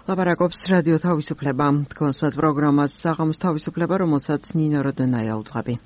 ლაპარაკობს რადიო თავისუფლება. კონსულტ პროგრამას საღამოს თავისუფლება, რომელსაც ნინო როდენაია უძღვები.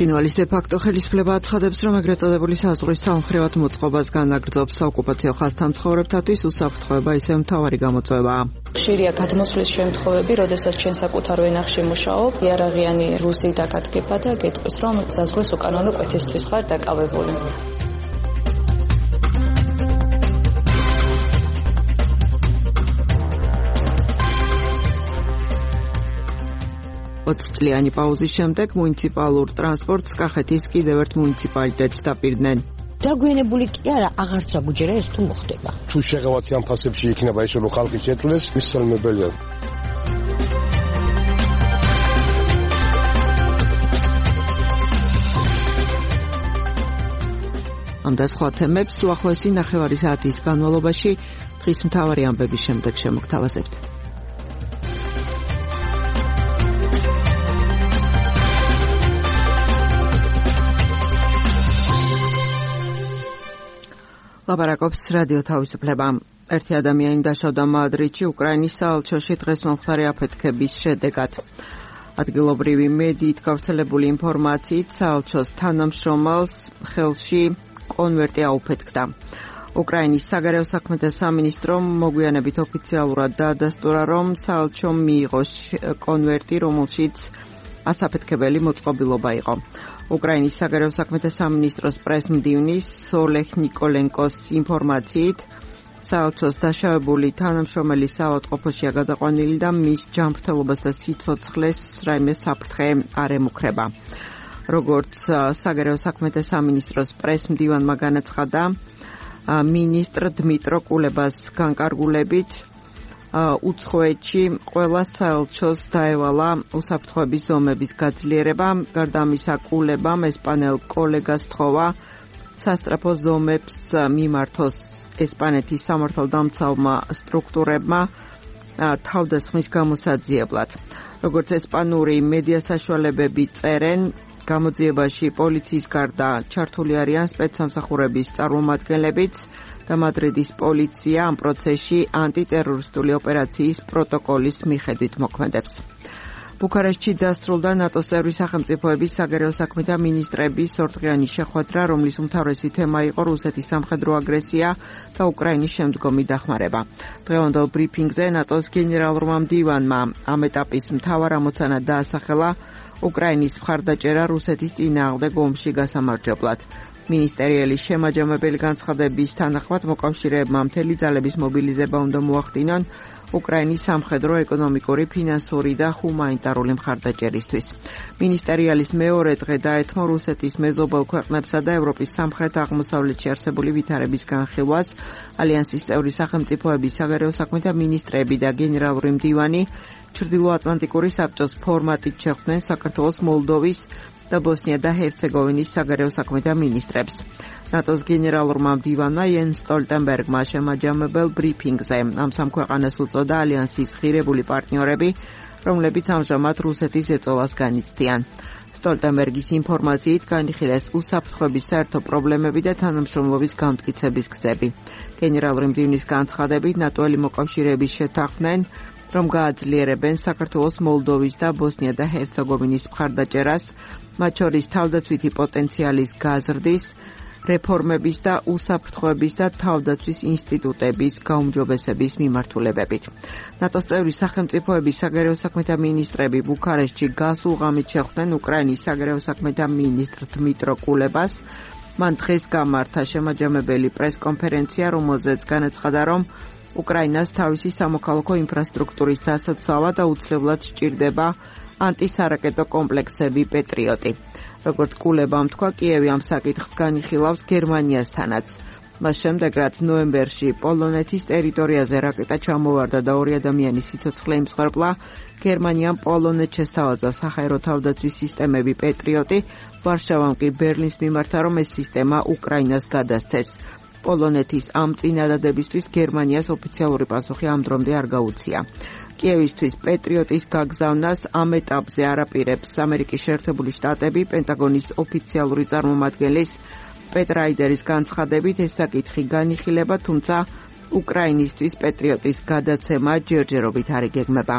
ცხინვალის დე-ფაქტო ხელისუფლება აცხადებს, რომ ეგრეთ წოდებული საზღვრის სამხრივად მოწყობას განაგრძობს საოკუპაციო ხაზთა მცხოვრებთათვის უსაფრთხოება ისევ მთავარი გამოწვევაა. ხშირია გადმოსვლის შემთხვევები, როდესაც ჩვენ საკუთარ ვენახში მუშაობ, იარაღიანი რუსი დაგადგება და გეტყვის, რომ საზღვრის უკანონო კვეთისთვის ხარ დაკავებული. წლიანი პაუზის შემდეგ მუნიციპალურ ტრანსპორტს კახეთის კიდევ ერთ მუნიციპალიტეტს დაპირდნენ. დაგვიანებული კი არა, აღარც აგუჯერა ეს თუ მოხდება. თუ შეღავათი ამ ფასებში იქნება ისე რომ ხალხი შეძლეს, მისცემებელია. ამ და სხვა თემებს უახლოესი ნახევარი საათის განმავლობაში დღის მთავარი ამბების შემდეგ შემოგთავაზებთ. ლაპარაკობს რადიო თავისუფლება. ერთი ადამიანი დაშავდა მადრიდში უკრაინის საელჩოში დღეს მომხდარი აფეთქების შედეგად. ადგილობრივი მედიით გავრცელებული ინფორმაციით საელჩოს თანამშრომელს ხელში კონვერტი აუფეთქდა. უკრაინის საგარეო საქმეთა სამინისტრომ მოგვიანებით ოფიციალურად დაადასტურა, რომ საელჩომ მიიღო კონვერტი, რომელშიც ასაფეთქებელი მოწყობილობა იყო. უკრაინის საგარეო საქმეთა სამინისტროს პრეს-მდივნის ოლეგ ნიკოლენკოს ინფორმაციით, საელჩოს დაშავებული თანამშრომელი საავადმყოფოშია გადაყვანილი და მის ჯანმრთელობას და სიცოცხლეს რაიმე საფრთხე არ ემუქრება. როგორც საგარეო საქმეთა სამინისტროს პრეს-მდივანმა განაცხადა, მინისტრ დმიტრო კულებას განკარგულებით უცხოეთში ყველა საელჩოს დაევალა უსაფრთხოების ზომების გაძლიერება. გარდა ამისა, კულებამ ესპანელ კოლეგას თხოვა სასტრაფო ზომებს მიმართოს ესპანეთის სამართალდამცავმა სტრუქტურებმა თავდასხმის გამოსაძიებლად. როგორც ესპანური მედია საშუალებები წერენ, გამოძიებაში პოლიციის გარდა ჩართული არიან სპეცსამსახურების წარმომადგენლებიც და მადრიდის პოლიცია ამ პროცესში ანტიტერორისტული ოპერაციის პროტოკოლის მიხედვით მოქმედებს. ბუქარესტში დასრულდა ნატოს წევრი სახელმწიფოების საგარეო საქმეთა მინისტრების ორდღიანი შეხვედრა, რომლის უმთავრესი თემა იყო რუსეთის სამხედრო აგრესია და უკრაინის შემდგომი დახმარება. დღევანდელ ბრიფინგზე ნატოს გენერალურმა მდივანმა ამ ეტაპის მთავარ ამოცანად დაასახელა უკრაინის მხარდაჭერა რუსეთის წინააღმდეგ ომში გასამარჯვებლად. მინისტერიელი შემაჯამებელი განცხადების თანახმად მოკავშირეებმა მთელი ძალების მობილიზება უნდა მოახდინონ უკრაინის სამხედრო, ეკონომიკური, ფინანსური და ჰუმანიტარული მხარდაჭერისთვის. მინისტერიალის მეორე დღე დაეთმო რუსეთის მეზობელ ქვეყნებსა და ევროპის სამხრეთ-აღმოსავლეთში არსებული ვითარების განხილვას. ალიანსის წევრი სახელმწიფოების საგარეო საქმეთა მინისტრები და გენერალური მდივანი ჩრდილოატლანტიკური საბჭოს ფორმატით შეხვდნენ საქართველოს, მოლდოვის და ბოსნია და ჰერცეგოვინის საგარეო საქმეთა მინისტრებს. ნატოს გენერალურმა მდივანმა იენს სტოლტენბერგმა შემაჯამებელ ბრიფინგზე ამ სამ ქვეყანას უწოდა ალიანსის ღირებული პარტნიორები, რომლებიც ამჟამად რუსეთის ეწოლას განიცდიან. სტოლტენბერგის ინფორმაციით განიხილეს უსაფრთხოების საერთო პრობლემები და თანამშრომლობის გამტკიცების გზები. გენერალური მდივნის განცხადებით, ნატოელი მოკავშირეების შეთანხმდნენ, რომ გააძლიერებენ საქართველოს, მოლდოვის და ბოსნია და ჰერცეგოვინის მხარდაჭერას, მათ შორის თავდაცვითი პოტენციალის გაზრდის, რეფორმების და უსაფრთხოების და თავდაცვის ინსტიტუტების გაუმჯობესების მიმართულებებით. ნატოს წევრი სახელმწიფოების საგარეო საქმეთა მინისტრები ბუქარესტში გასულ ღამით შეხვდნენ უკრაინის საგარეო საქმეთა მინისტრ დმიტრო კულებას. მან დღეს გამართა შემაჯამებელი პრესკონფერენცია, რომელზეც განაცხადა, რომ უკრაინას თავისი სამოქალაქო ინფრასტრუქტურის დასაცავად და უცვლელად სჭირდება ანტისარაკეტო კომპლექსები პეტრიოტი. როგორც კულებამ თქვა, კიევი ამ საკითხს განიხილავს გერმანიასთანაც. მას შემდეგ, რაც ნოემბერში პოლონეთის ტერიტორიაზე რაკეტა ჩამოვარდა და 2 ადამიანის სიცოცხლე იმსხვერპლა, გერმანიამ პოლონეთს შესთავაზა საჰაერო თავდაცვის სისტემები პეტრიოტი, ვარშავამ კი ბერლინს მიმართა, რომ ეს სისტემა უკრაინას გადასცეს. პოლონეთის ამ წინადადებისთვის გერმანიას ოფიციალური პასუხი ამ დრომდე არ გაუწია. კიევისთვის პეტრიოტის გაგზავნას ამ ეტაპზე არ აპირებს ამერიკის შეერთებული შტატები. პენტაგონის ოფიციალური წარმომადგენლის პეტ რაიდერის განცხადებით ეს საკითხი განიხილება, თუმცა უკრაინისთვის პეტრიოტის გადაცემა ჯერჯერობით არ იგეგმება.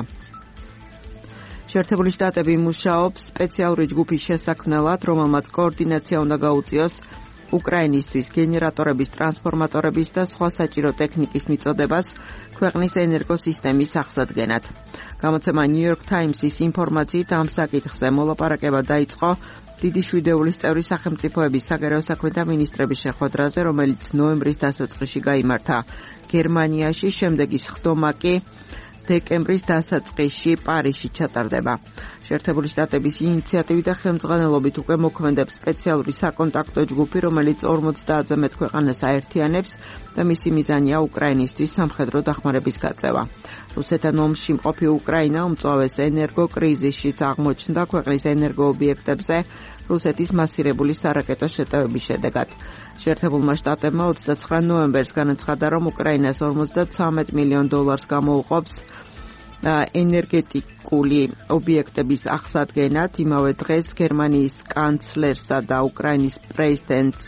შეერთებული შტატები მუშაობს სპეციალური ჯგუფის შესაქმნელად, რომელმაც კოორდინაცია უნდა გაუწიოს უკრაინისთვის გენერატორების, ტრანსფორმატორების და სხვა საჭირო ტექნიკის მიწოდებას ქვეყნის ენერგოსისტემის აღსადგენად. გამოცემა New York Times-ის ინფორმაციით ამ საკითხზე მოლაპარაკება დაიწყო დიდი შვიდეულის წევრი სახელმწიფოების საგარეო საქმეთა მინისტრების შეხვედრაზე, რომელიც ნოემბრის დასაწყისში გაიმართა გერმანიაში, შემდეგი სხდომა კი დეკემბრის დასაწყისში პარიზში ჩატარდება. შეერთებული შტატების ინიციატივით და ხელმძღვანელობით უკვე მოქმედებს სპეციალური საკონტაქტო ჯგუფი, რომელიც 50-ზე მეტ ქვეყანას აერთიანებს და მისი მიზანია უკრაინისთვის სამხედრო დახმარების გაწევა. რუსეთთან ომში მყოფი უკრაინა უმწვავეს ენერგოკრიზისშიც აღმოჩნდა ქვეყნის ენერგოობიექტებზე რუსეთის მასირებული სარაკეტო შეტევების შედეგად. შეერთებულმა შტატებმა 29 ნოემბერს განაცხადა, რომ უკრაინას $53 მილიონ გამოუყოფს ენერგეტიკული ობიექტების აღსადგენად. იმავე დღეს გერმანიის კანცლერსა და უკრაინის პრეზიდენტს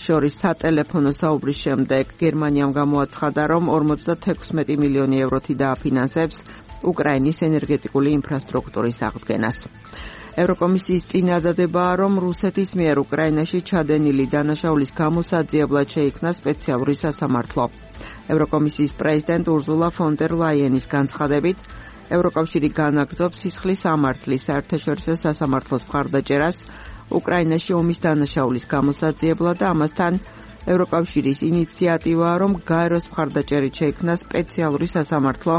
შორის სატელეფონო საუბრის შემდეგ გერმანიამ გამოაცხადა, რომ 56 მილიონი ევროთი დააფინანსებს უკრაინის ენერგეტიკული ინფრასტრუქტურის აღდგენას. ევროკომისიის წინადადებაა, რომ რუსეთის მიერ უკრაინაში ჩადენილი დანაშაულის გამოსაძიებლად შეიქმნა სპეციალური სასამართლო. ევროკომისიის პრეზიდენტ ურზულა ფონ დერ ლაიენის განცხადებით, ევროკავშირი განაგრძობს სისხლის სამართლის საერთაშორისო სასამართლოს მხარდაჭერას უკრაინაში ომის დანაშაულის გამოსაძიებლად და ამასთან ევროკავშირის ინიციატივაა, რომ გაეროს მხარდაჭერით შეიქმნა სპეციალური სასამართლო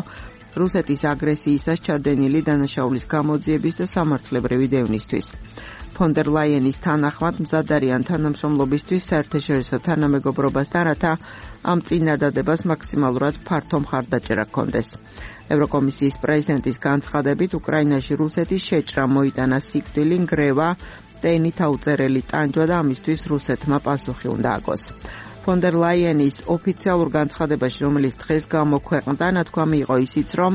რუსეთის აგრესიისას ჩადენილი დანაშაულის გამოძიების და სამართლებრივი დევნისთვის. ფონ დერ ლაიენის თანახმად მზად არიან თანამშრომლობისთვის საერთაშორისო თანამეგობრობასთან, რათა ამ წინადადებას მაქსიმალურად ფართო მხარდაჭერა ჰქონდეს. ევროკომისიის პრეზიდენტის განცხადებით, უკრაინაში რუსეთის შეჭრა მოიტანა სიკვდილი, ნგრევა და ენით აუწერელი ტანჯვა და ამისთვის რუსეთმა პასუხი უნდა აგოს. ფონ დერ ლაიენის ოფიციალურ განცხადებაში, რომელიც დღეს გამოქვეყნდა, ნათქვამი იყო ისიც, რომ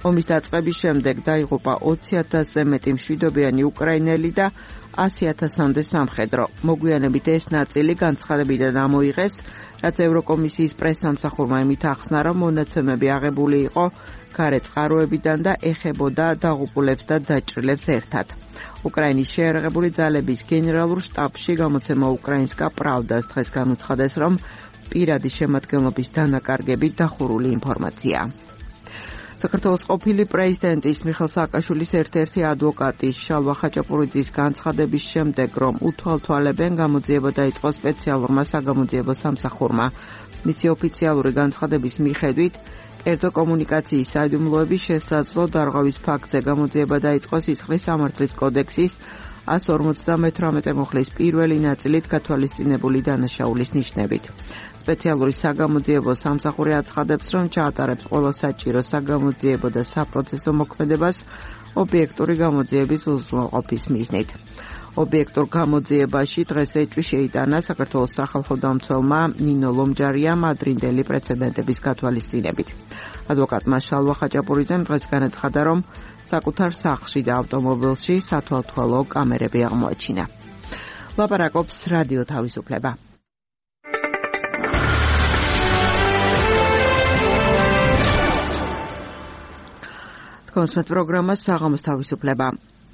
ომის დაწყების შემდეგ დაიღუპა 20,000-ზე მეტი მშვიდობიანი უკრაინელი და 100,000-მდე სამხედრო. მოგვიანებით ეს ნაწილი განცხადებიდან ამოიღეს, რაც ევროკომისიის პრესსამსახურმა იმით ახსნა, რომ მონაცემები აღებული იყო გარე წყაროებიდან და ეხებოდა დაღუპულებს და დაჭრილებს ერთად. უკრაინის შეერაღებული ძალების გენერალურ შტაბში გამოცემა უკრაინსკა პრავდას დღეს განუცხადეს, რომ პირადი შემადგენლობის დანაკარგებით დახურული ინფორმაცია. საქართველოს ყოფილი პრეზიდენტის მიხეილ სააკაშვილის ერთ-ერთი ადვოკატის შალვა ხაჭაპურიძის განცხადების შემდეგ, რომ უთვალთვალებენ, გამოძიება დაიწყო სპეციალურმა საგამოძიებო სამსახურმა. მისი ოფიციალური განცხადების მიხედვით, კერძო კომუნიკაციის საიდუმლოების შესაძლო დარღვევის ფაქტზე გამოძიება დაიწყო სისხლის სამართლის კოდექსის 158 მუხლის პირველი ნაწილით გათვალისწინებული დანაშაულის ნიშნებით. სპეციალური საგამოძიებო სამსახური აცხადებს, რომ ჩაატარებს ყველა საჭირო საგამოძიებო და საპროცესო მოქმედებას ობიექტური გამოძიების უზრუნველყოფის მიზნით. ობიექტურ გამოძიებაში დღეს ეჭვი შეიტანა საქართველოს სახალხო დამცველმა ნინო ლომჯარიამ ადრინდელი პრეცედენტების გათვალისწინებით. ადვოკატმა შალვა ხაჭაპურიძემ დღეს განაცხადა, რომ საკუთარ სახლში და ავტომობილში სათვალთვალო კამერები აღმოაჩინა. ლაპარაკობს რადიო თავისუფლება. თქვენს პროგრამა საღამოს თავისუფლება.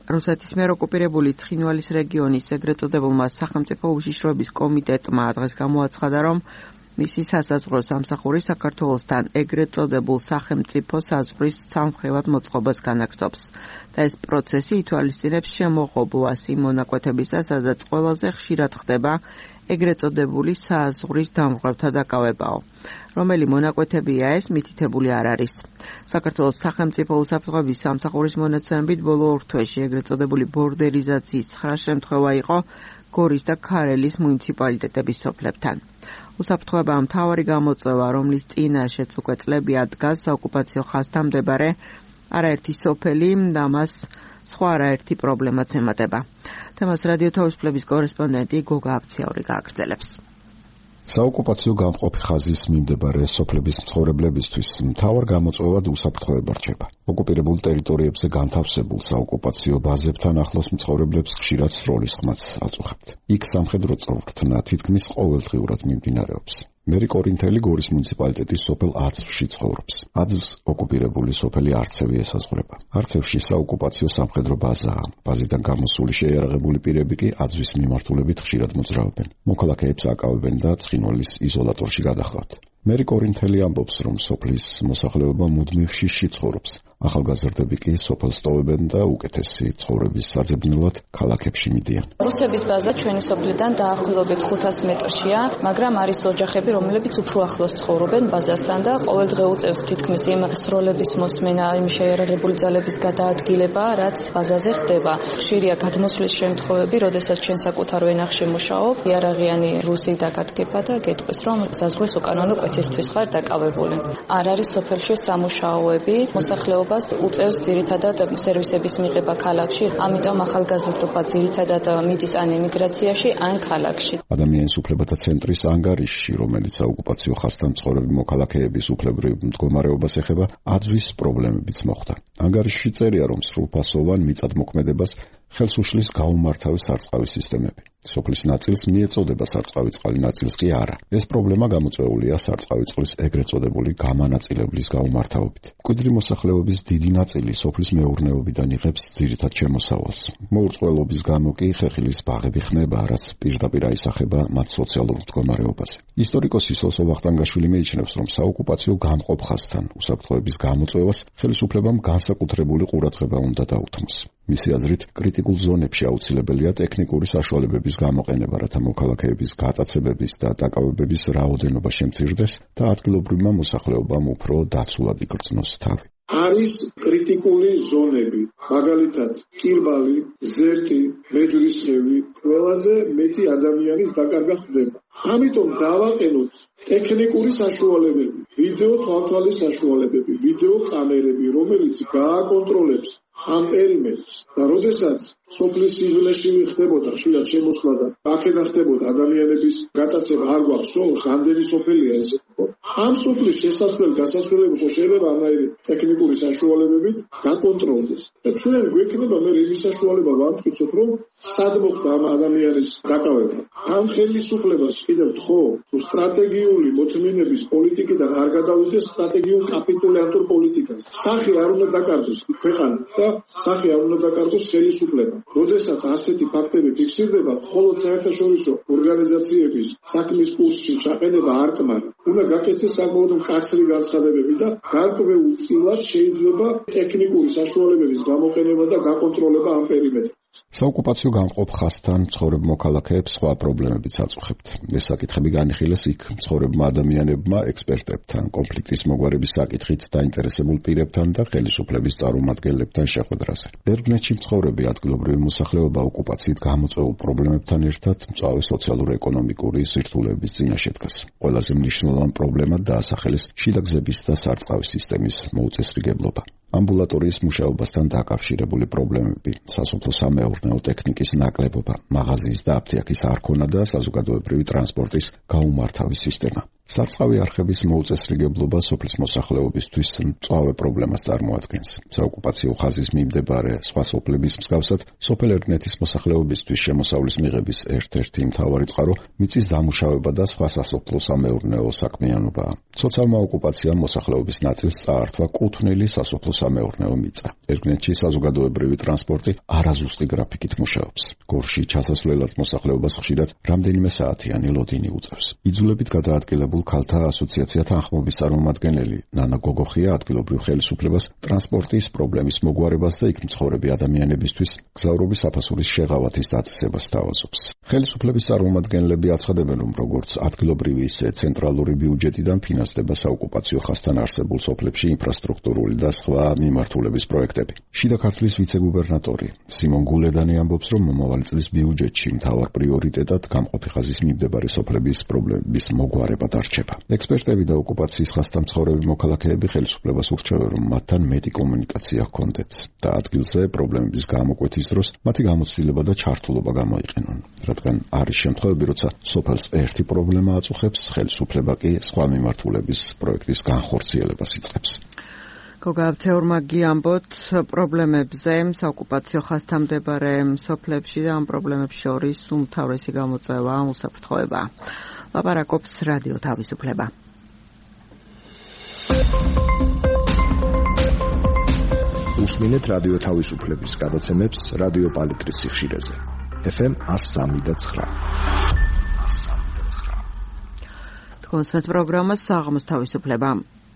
რუსეთის მიერ ოკუპირებული ცხინვალის რეგიონის ეგრეთ წოდებულმა სახელმწიფო უშიშროების კომიტეტმა დღეს გამოაცხადა, რომ მისი სასაზღვრო სამსახური საქართველოსთან ეგრეთ წოდებულ სახელმწიფო საზღვრის სამხრივად მოწყობას განაგრძობს და ეს პროცესი ითვალისწინებს შემოღობლას იმ მონაკვეთებისა, სადაც ყველაზე ხშირად ხდება ეგრეთ წოდებული საზღვრის დამრღვევთა დაკავებაო. რომელი მონაკვეთებია ეს, მითითებული არ არის. საქართველოს სახელმწიფო უსაფრთხოების სამსახურის მონაცემებით ბოლო 2 თვეში ეგრეთ წოდებული ბორდერიზაციის 9 შემთხვევა იყო გორის და ქარელის მუნიციპალიტეტების სოფლებთან. უსაფრთხოებაა მთავარი გამოწვევა, რომლის წინაშეც უკვე წლებია დგას საოკუპაციო ხაზთან მდებარე არაერთი სოფელი და მას სხვა არაერთი პრობლემაც ემატება. თემას რადიო თავისუფლების კორესპონდენტი გოგა აფციაური გააგრძელებს. საოკუპაციო გამყოფი ხაზის მიმდებარე სოფლების მცხოვრებლებისთვის მთავარ გამოწვევად უსაფრთხოება რჩება. ოკუპირებულ ტერიტორიებზე განთავსებულ საოკუპაციო ბაზებთან ახლოს მცხოვრებლებს ხშირად სროლის ხმაც აწუხებთ. იქ სამხედრო წვრთნა თითქმის ყოველდღიურად მიმდინარეობს. მერი კორინთელი გორის მუნიციპალიტეტის სოფელ აცვში ცხოვრობს. აცვს ოკუპირებული სოფელი არცევი ესაზღვრება. არცევში საოკუპაციო სამხედრო ბაზაა. ბაზიდან გამოსული შეიარაღებული პირები კი აცვის მიმართულებით ხშირად მოძრაობენ. მოქალაქეებს აკავებენ და ცხინვალის იზოლატორში გადაჰყავთ. მერი კორინთელი ამბობს, რომ სოფლის მოსახლეობა მუდმივ შიშში ცხოვრობს. ახალგაზრდები კი სოფელს ტოვებენ და უკეთესი ცხოვრების საძებნელად ქალაქებში მიდიან. რუსების ბაზა ჩვენი სოფლიდან დაახლოებით 500 მეტრშია, მაგრამ არის ოჯახები, რომლებიც უფრო ახლოს ცხოვრობენ ბაზასთან და ყოველდღე უწევს თითქმის იმ სროლების მოსმენა, იმ შეიარაღებული ძალების გადაადგილება, რაც ბაზაზე ხდება. ხშირია გადმოსვლის შემთხვევები, როდესაც ჩვენ საკუთარ ვენახში მუშაობ, იარაღიანი რუსი დაგადგება და გეტყვის, რომ საზღვრის უკანონო კვეთისთვის ხარ დაკავებული. არ არის სოფელში სამუშაოები, მოსახლეობა უწევს ძირითადად სერვისების მიღება ქალაქში, ამიტომ ახალგაზრდობა ძირითადად მიდის ან ემიგრაციაში, ან ქალაქში. ადამიანის უფლებათა ცენტრის ანგარიშში, რომელიც საოკუპაციო ხაზთან მცხოვრები მოქალაქეების უფლებრივ მდგომარეობას ეხება, აცვის პრობლემებიც მოხვდა. ანგარიშში წერია, რომ სრულფასოვან მიწადმოქმედებას ხელს უშლის გაუმართავი სარწყავი სისტემები. სოფლის ნაწილს მიეწოდება სარწყავი წყალი, ნაწილს კი არა. ეს პრობლემა გამოწვეულია სარწყავი წყლის ეგრეთ წოდებული გამანაწილებლის გაუმართავობით. მკვიდრი მოსახლეობის დიდი ნაწილი სოფლის მეურნეობიდან იღებს ძირითად შემოსავალს. მოურწყვლობის გამო კი ხეხილის ბაღები ხმება, რაც პირდაპირ აისახება მათ სოციალურ მდგომარეობაზე. ისტორიკოსი სოსო ვახტანგაშვილი მიიჩნევს, რომ საოკუპაციო გამყოფ ხაზთან უსაფრთხოების გამოწვევას ხელისუფლებამ განსაკუთრებული ყურადღება უნდა დაუთმოს. მისი აზრით, კრიტიკულ ზონებში აუცილებელია ტექნიკური საშუალებების გამოყენება, რათა მოქალაქეების გატაცებების და დაკავებების რაოდენობა შემცირდეს და ადგილობრივმა მოსახლეობამ უფრო დაცულად იგრძნოს თავი. არის კრიტიკული ზონები, მაგალითად, კირბალი, ზერთი, მეჯვრისხევი, ყველაზე მეტი ადამიანის დაკარგვა ხდება. ამიტომ დავაყენოთ ტექნიკური საშუალებები, ვიდეო თვალთვალის საშუალებები, ვიდეო კამერები, რომელიც გააკონტროლებს ამ პერიმეტრს და როდესაც სოფლის სიღრმეში ხდებოდა ხშირად შემოსვლა და აქედან ხდებოდა ადამიანების გატაცება, არ გვახსოვს რამდენი სოფელია ესე. ამ სოფლის შესასვლელი-გასასვლელები შეიძლება ამაირი ტექნიკური საშუალებებით გაკონტროლდეს. და ჩვენ გვექნება მე იმის საშუალება ვამტკიცოთ, რომ სად მოხდა ამ ადამიანის დაკავება. ამ ხელისუფლებას კიდევ თხოვ, თუ სტრატეგიული მოთმინების პოლიტიკიდან არ გადავიდეს სტრატეგიულ კაპიტულიანტურ პოლიტიკას. სახე არ უნდა დაკარგოს ქვეყანა და სახე არ უნდა დაკარგოს ხელისუფლება. როდესაც ასეთი ფაქტები ფიქსირდება, მხოლოდ საერთაშორისო ორგანიზაციების საქმის კურსში ჩაყენება არ კმაρα. უნდა გაკეთდეს საკმაოდ მკაცრი განცხადებები და გარკვეულწილად შეიძლება ტექნიკური საშუალებების გამოყენება და გაკონტროლება ამ პერიმეტრში. საოკუპაციო გამყოფ ხაზთან მცხოვრებ მოქალაქეებს სხვა პრობლემებიც აწუხებთ. ეს საკითხები განიხილეს იქ მცხოვრებმა ადამიანებმა, ექსპერტებთან, კონფლიქტის მოგვარების საკითხით დაინტერესებულ პირებთან და ხელისუფლების წარმომადგენლებთან შეხვედრაზე. ბერგნეთში მცხოვრები ადგილობრივი მოსახლეობა ოკუპაციით გამოწვეულ პრობლემებთან ერთად მწვავე სოციალურ-ეკონომიკური სირთულეების წინაშე დგას. ყველაზე მნიშვნელოვანი პრობლემა დაასახელეს შიდაგზების და სარწყავი სისტემის მოუწესრიგებლობა. ამბულატორიის მუშაობასთან დაკავშირებული პრობლემები, სასოფლო-სამეურნეო ტექნიკის ნაკლებობა, მაღაზიის და აფთიაქის არქონა და საზოგადოებრივი ტრანსპორტის გაუმართავი სისტემა. სარწყავი არხების მოუწესრიგებლობა სოფლის მოსახლეობისთვის მწვავე პრობლემას წარმოადგენს. საოკუპაციო ხაზის მიმდებარე სხვა სოფლების მსგავსად, სოფელ ერგნეთის მოსახლეობისთვის შემოსავლის მიღების ერთ-ერთი მთავარი წყარო მიწის დამუშავება და სხვა სასოფლო-სამეურნეო საქმიანობაა. ცოცხალმა ოკუპაციამ მოსახლეობის ნაწილს წაართვა კუთვნილი სასოფლო-სამეურნეო მიწა. ერგნეთში საზოგადოებრივი ტრანსპორტი არაზუსტი გრაფიკით მუშაობს. გორში ჩასასვლელად მოსახლეობას ხშირად რამდენიმე საათიანი ლოდინი უწევს. იძულებით გადაადგილებული ქალთა ასოციაცია თანხმობის წარმომადგენელი ნანა გოგოხია ადგილობრივ ხელისუფლებას ტრანსპორტის პრობლემის მოგვარებას და იქ მცხოვრები ადამიანებისთვის გზავრობის საფასურის შეღავათის დაწესებას თავაზობს. ხელისუფლების წარმომადგენლები აცხადებენ, რომ როგორც ადგილობრივი, ისე ცენტრალური ბიუჯეტიდან ფინანსდება საოკუპაციო ხაზთან არსებულ სოფლებში ინფრასტრუქტურული და სხვა მიმართულების პროექტები. შიდა ქართლის ვიცე-გუბერნატორი სიმონ გულედანი ამბობს, რომ მომავალი წლის ბიუჯეტში მთავარ პრიორიტეტად გამყოფი ხაზის მიმდებარე სოფლების პრობლემების მოგვარება არ რჩება. ექსპერტები და ოკუპაციის ხაზთან მცხოვრები მოქალაქეები ხელისუფლებას ურჩევენ, რომ მათთან მეტი კომუნიკაცია ჰქონდეთ და ადგილზე პრობლემების გამოკვეთის დროს მათი გამოცდილება და ჩართულობა გამოიყენონ, რადგან არის შემთხვევები, როცა სოფელს ერთი პრობლემა აწუხებს, ხელისუფლება კი სხვა მიმართულების პროექტის განხორციელებას იწყებს. გოგა თეორმა გიამბოთ პრობლემებზე საოკუპაციო ხაზთან მდებარე სოფლებში და ამ პრობლემებს შორის უმთავრესი გამოწვევა უსაფრთხოება. ლაპარაკობს რადიო თავისუფლება. უსმინეთ რადიო თავისუფლების გადაცემებს რადიო პალიტრის სიხშირეზე. FM 103.9. თქვენს პროგრამას საღამოს თავისუფლება.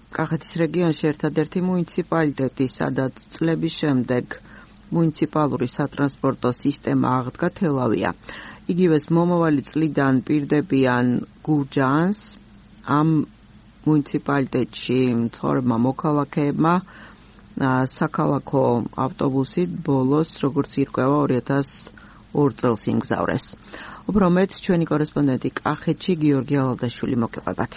კახეთის რეგიონში ერთადერთი მუნიციპალიტეტი, სადაც წლების შემდეგ მუნიციპალური სატრანსპორტო სისტემა აღდგა თელავია. იგივეს მომავალი წლიდან პირდებიან გურჯაანს. ამ მუნიციპალიტეტში მცხოვრებმა მოქალაქეებმა საქალაქო ავტობუსით ბოლოს, როგორც ირკვევა, 2002 წელს იმგზავრეს. უფრო მეტ ჩვენი კორესპონდენტი კახეთში გიორგი ალადაშვილი მოგეყვებათ.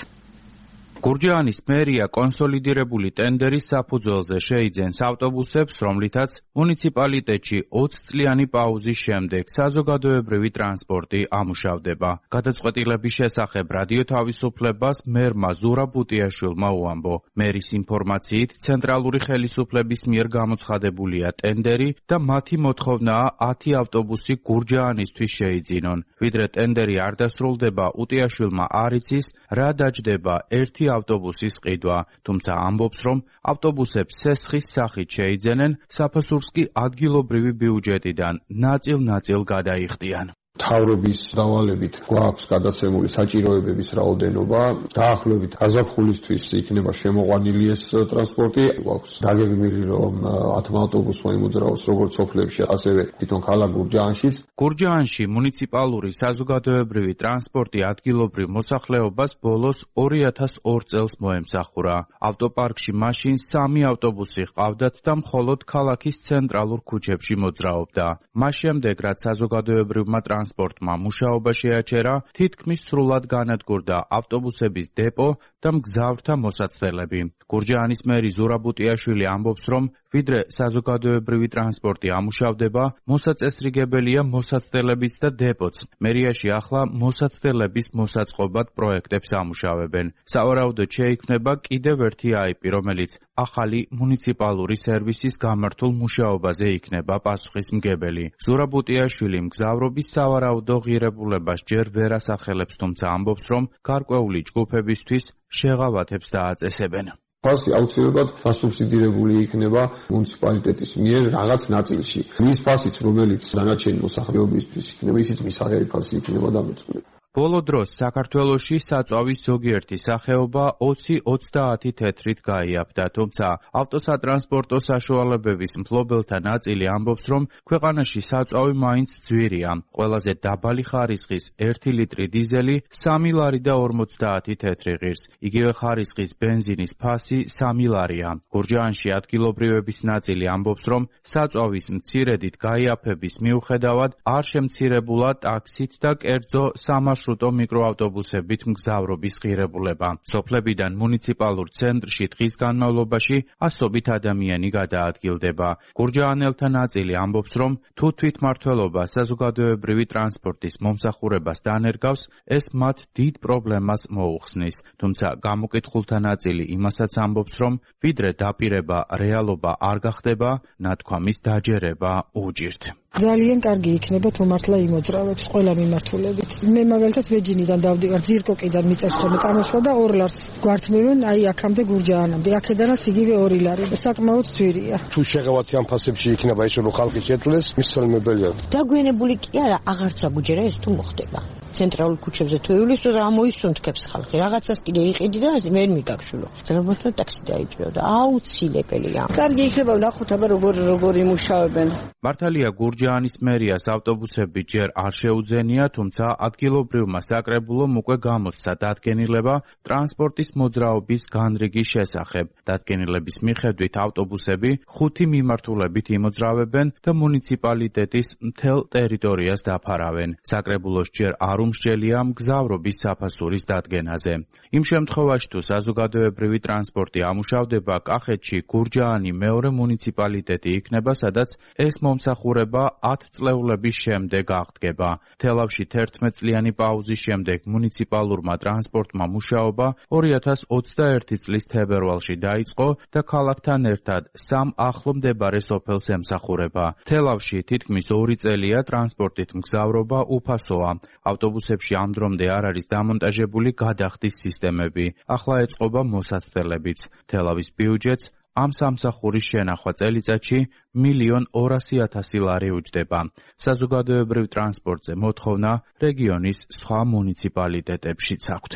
გურჯაანის მერია კონსოლიდირებული ტენდერის საფუძველზე შეიძენს ავტობუსებს, რომლითაც მუნიციპალიტეტში 20 წლიანი პაუზის შემდეგ საზოგადოებრივი ტრანსპორტი ამუშავდება. გადაწყვეტილების შესახებ რადიო თავისუფლებას მერმა ზურაბ ბუტიაშვილმა უამბო. მერის ინფორმაციით, ცენტრალური ხელისუფლების მიერ გამოცხადებულია ტენდერი და მათი მოთხოვნაა 10 ავტობუსი გურჯაანისთვის შეიძინონ. ვიდრე ტენდერი არ დასრულდება, უტიაშვილმა არ იცის, რა დაჯდება ერთი ავტობუსის ყიდვა, თუმცა ამბობს, რომ ავტობუსებს სესხის სახით შეიძენენ, საფასურს კი ადგილობრივი ბიუჯეტიდან ნაწილ-ნაწილ გადაიხდიან. მთავრობის დავალებით გვაქვს გადაცემული საჭიროებების რაოდენობა, დაახლოებით გაზაფხულისთვის იქნება შემოყვანილი ეს ტრანსპორტი. გვაქვს დაგეგმილი, რომ 10 ავტობუსმა იმოძრაოს როგორც სოფლებში, ასევე თვითონ ქალაქ გურჯაანშიც. გურჯაანში მუნიციპალური საზოგადოებრივი ტრანსპორტი ადგილობრივ მოსახლეობას ბოლოს 2002 წელს მოემსახურა. ავტოპარკში მაშინ 3 ავტობუსი ჰყავდათ და მხოლოდ ქალაქის ცენტრალურ ქუჩებში მოძრაობდა. მას შემდეგ, რაც საზოგადოებრივმა ტრანსპორტმა მუშაობა შეაჩერა, თითქმის სრულად განადგურდა ავტობუსების დეპო და მგზავრთა მოსაცდელები. გურჯაანის მერი ზურაბ ბუტიაშვილი ამბობს, რომ ვიდრე საზოგადოებრივი ტრანსპორტი ამუშავდება, მოსაწესრიგებელია მოსაცდელებიც და დეპოც. მერიაში ახლა მოსაცდელების მოსაწყობად პროექტებს ამუშავებენ. სავარაუდოდ შეიქმნება კიდევ ერთი IP, რომელიც ახალი მუნიციპალური სერვისის გამართულ მუშაობაზე იქნება პასუხისმგებელი. ზურაბ ბუტიაშვილი მგზავრობის სავარაუდო ღირებულებას ჯერ ვერ ასახელებს, თუმცა ამბობს, რომ გარკვეული ჯგუფებისთვის შეღავათებს დააწესებენ. ფასი აუცილებლად დასუბსიდირებული იქნება მუნიციპალიტეტის მიერ რაღაც ნაწილში. მის ფასიც, რომელიც დანარჩენი მოსახლეობისთვის იქნება, ისიც მისაღები ფასი იქნება დამოწმული. ბოლო დროს საქართველოში საწვავის ზოგიერთი სახეობა 20-30 თეთრით გაიაფდა, თუმცა ავტოსატრანსპორტო საშუალებების მფლობელთა ნაწილი ამბობს, რომ ქვეყანაში საწვავი მაინც ძვირია. ყველაზე დაბალი ხარისხის 1 ლიტრი დიზელი 3 ლარი და 50 თეთრი ღირს. იგივე ხარისხის ბენზინის ფასი 3 ლარია. გურჯაანში ადგილობრივების ნაწილი ამბობს, რომ საწვავის მცირედით გაიაფების მიუხედავად არ შემცირებულა ტაქსით და კერძო სამარშრუტო მიკროავტობუსებით მგზავრობის ღირებულება. სოფლებიდან მუნიციპალურ ცენტრში დღის განმავლობაში ასობით ადამიანი გადაადგილდება. გურჯაანელთა ნაწილი ამბობს, რომ თუ თვითმმართველობა საზოგადოებრივი ტრანსპორტის მომსახურებას დანერგავს, ეს მათ დიდ პრობლემას მოუხსნის. თუმცა გამოკითხულთა ნაწილი იმასაც ამბობს, რომ ვიდრე დაპირება რეალობა არ გახდება, ნათქვამის დაჯერება უჭირთ. ძალიან კარგი იქნება თუ მართლა იმოძრავებს ყველა მიმართულებით. მე მაგალითად ვეჯინიდან დავდივარ, ძირკოკიდან მიწევს ხოლმე წამოსვლა და 2 ლარს გვართმევენ აი აქამდე გურჯაანამდე. აქედანაც იგივე 2 ლარი. საკმაოდ ძვირია. თუ შეღავათი ამ ფასებში იქნება ისე რომ ხალხი შეძლეს, მისცემებელია. დაგვიანებული კი არა, აღარც აგუჯერა ეს თუ მოხდება. ცენტრალურ ქუჩებზე თუ ივლის და ამოისუნთქებს ხალხი. რაღაცას კიდე იყიდი და ვერ მიგაგშულო. ზოგადად ტაქსი დაიჭირო და აუცილებელია. კარგი იქნება ვნახოთ აბა როგორ იმუშავებენ. მართალია გურჯაანის მერიას ავტობუსები ჯერ არ შეუძენია, თუმცა ადგილობრივმა საკრებულომ უკვე გამოსცა დადგენილება ტრანსპორტის მოძრაობის განრიგის შესახებ. დადგენილების მიხედვით ავტობუსები 5 მიმართულებით იმოძრავებენ და მუნიციპალიტეტის მთელ ტერიტორიას დაფარავენ. საკრებულოს ჯერ არ უმსჯელია მგზავრობის საფასურის დადგენაზე. იმ შემთხვევაში, თუ საზოგადოებრივი ტრანსპორტი ამუშავდება კახეთში, გურჯაანი მეორე მუნიციპალიტეტი იქნება, სადაც ეს მომსახურება 10 წლეულების შემდეგ აღდგება. თელავში 11 წლიანი პაუზის შემდეგ მუნიციპალურმა ტრანსპორტმა მუშაობა 2021 წლის თებერვალში დაიწყო და ქალაქთან ერთად 3 ახლო მდებარე სოფელს ემსახურება. თელავში თითქმის 2 წელია ტრანსპორტით მგზავრობა უფასოა. ავტობუსებში ამ დრომდე არ არის დამონტაჟებული გადახდის სისტემები. ახლა ეწყობა მოსაცდელებიც. თელავის ბიუჯეტს ამ სამსახურის შენახვა წელიწადში 1,200,000 ლარი უჯდება. საზოგადოებრივ ტრანსპორტზე მოთხოვნა რეგიონის სხვა მუნიციპალიტეტებშიც აქვთ.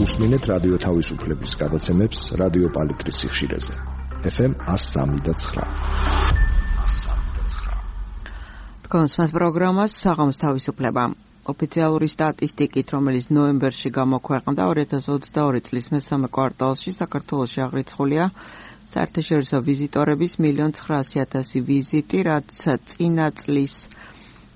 უსმინეთ რადიო თავისუფლების გადაცემებს რადიო პალიტრის სიხშირეზე. FM 103.9. კონსმათ პროგრამას საღამოს თავისუფლება. ოფიციალური სტატისტიკით, რომელიც ნოემბერში გამოქვეყნდა 2022 წლის მესამე კვარტალში საქართველოში აღრიცხულია საერთაშორისო ვიზიტორების 1,900,000 ვიზიტი, რაც წინა წლის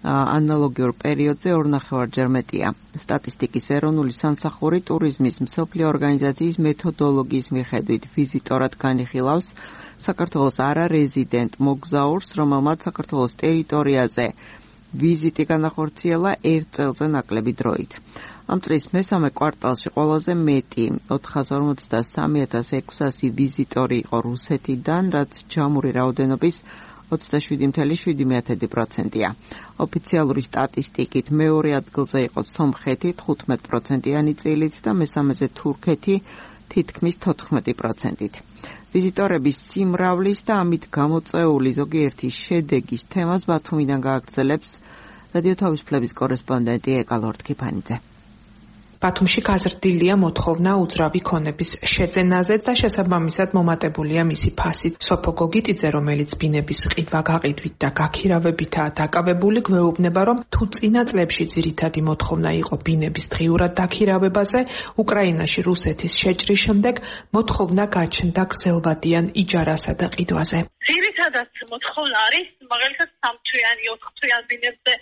ანალოგიურ პერიოდზე 2,5-ჯერ მეტია. სტატისტიკის ეროვნული სამსახური ტურიზმის მსოფლიო ორგანიზაციის მეთოდოლოგიის მიხედვით ვიზიტორად განიხილავს საქართველოს არარეზიდენტ მოგზაურს, რომელმაც საქართველოს ტერიტორიაზე ვიზიტი განახორციელა 1 წელზე ნაკლები დროით. ამ წლის მესამე კვარტალში ყველაზე მეტი 453,600 ვიზიტორი იყო რუსეთიდან, რაც ჯამური რაოდენობის 27,7%-ია. ოფიციალური სტატისტიკით მეორე ადგილზე იყო სომხეთი 15%-იანი წილით და მესამეზე თურქეთი თითქმის 14%-ით. ვიზიტორების სიმრავლის და ამით გამოწვეული ზოგიერთი შედეგის თემას ბათუმიდან გააგრძელებს რადიო თავისუფლების კორესპონდენტი ეკა ლორდ-ქიფანიძე. ბათუმში გაზრდილია მოთხოვნა უძრავი ქონების შეძენაზე და შესაბამისად მომატებულია მისი ფასით. სოფო გოგიტიძე, რომელიც ბინების ყიდვა-გაყიდვით და გაქირავებითაა დაკავებული, გვეუბნება, რომ თუ წინა წლებში ძირითადი მოთხოვნა იყო ბინების დღიურად დაქირავებაზე, უკრაინაში რუსეთის შეჭრის შემდეგ მოთხოვნა გაჩნდა გრძელვადიან იჯარასა და ყიდვაზე. ძირითადად მოთხოვნა არის მაგალითად 3-თვიანი, 4-თვიან ბინებზე,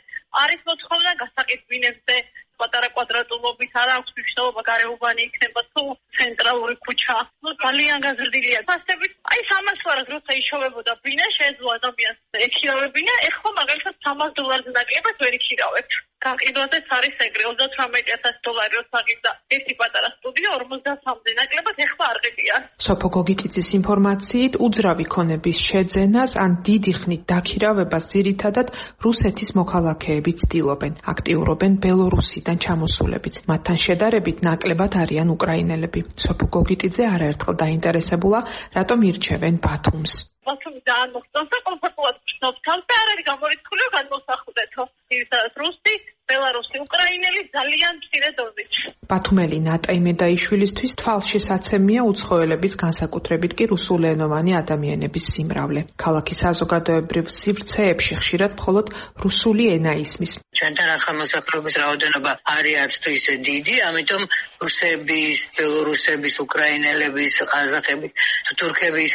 არის მოთხოვნა გასაყიდ ბინებზე, პატარა კვადრატულობით არა აქვს მნიშვნელობა გარეუბანი იქნება თუ ცენტრალური ქუჩა. ძალიან გაზრდილია. ფასებით, აი 300 ლარად როცა იშოვებოდა ბინა, შეეძლო ადამიანს ექირავებინა, ეხლა მაგალითად $300 ნაკლებად ვერ იქირავებთ. გაყიდვაზეც არის ეგრე, $38,000 როცა გიდა ერთი პატარა სტუდია 53-მდე ნაკლებად ეხლა არ ყიდიან. სოფო გოგიტიძის ინფორმაციით, უძრავი ქონების შეძენას ან დიდი ხნით დაქირავებას ძირითადად რუსეთის მოქალაქეები ცდილობენ. აქტიურობენ ბელორუსიდან ჩამოსულებიც. მათთან შედარებით ნაკლებად არიან უკრაინელები. სოფო გოგიტიძე არაერთხელ დაინტერესებულა, რატომ ირჩევენ ბათუმს. ბათუმი ძალიან მოხდავს და კომფორტულად ვჩნობ თავს და არ არის გამორიცხული განმოსახულეთო. ძირითადად რუსი, ბელარუსი, უკრაინელი ძალიან მცირე დოზით. ბათუმელი ნატაი მედაიშვილისთვის თვალშესაცემია უცხოელების, განსაკუთრებით კი რუსულენოვანი ადამიანების სიმრავლე. ქალაქის საზოგადოებრივ სივრცეებში ხშირად მხოლოდ რუსული ენა ისმის. ჩვენთან ახალმოსახლეობის რაოდენობა არის არც თუ ისე დიდი, ამიტომ რუსების, ბელორუსების, უკრაინელების, ყაზახების, თურქების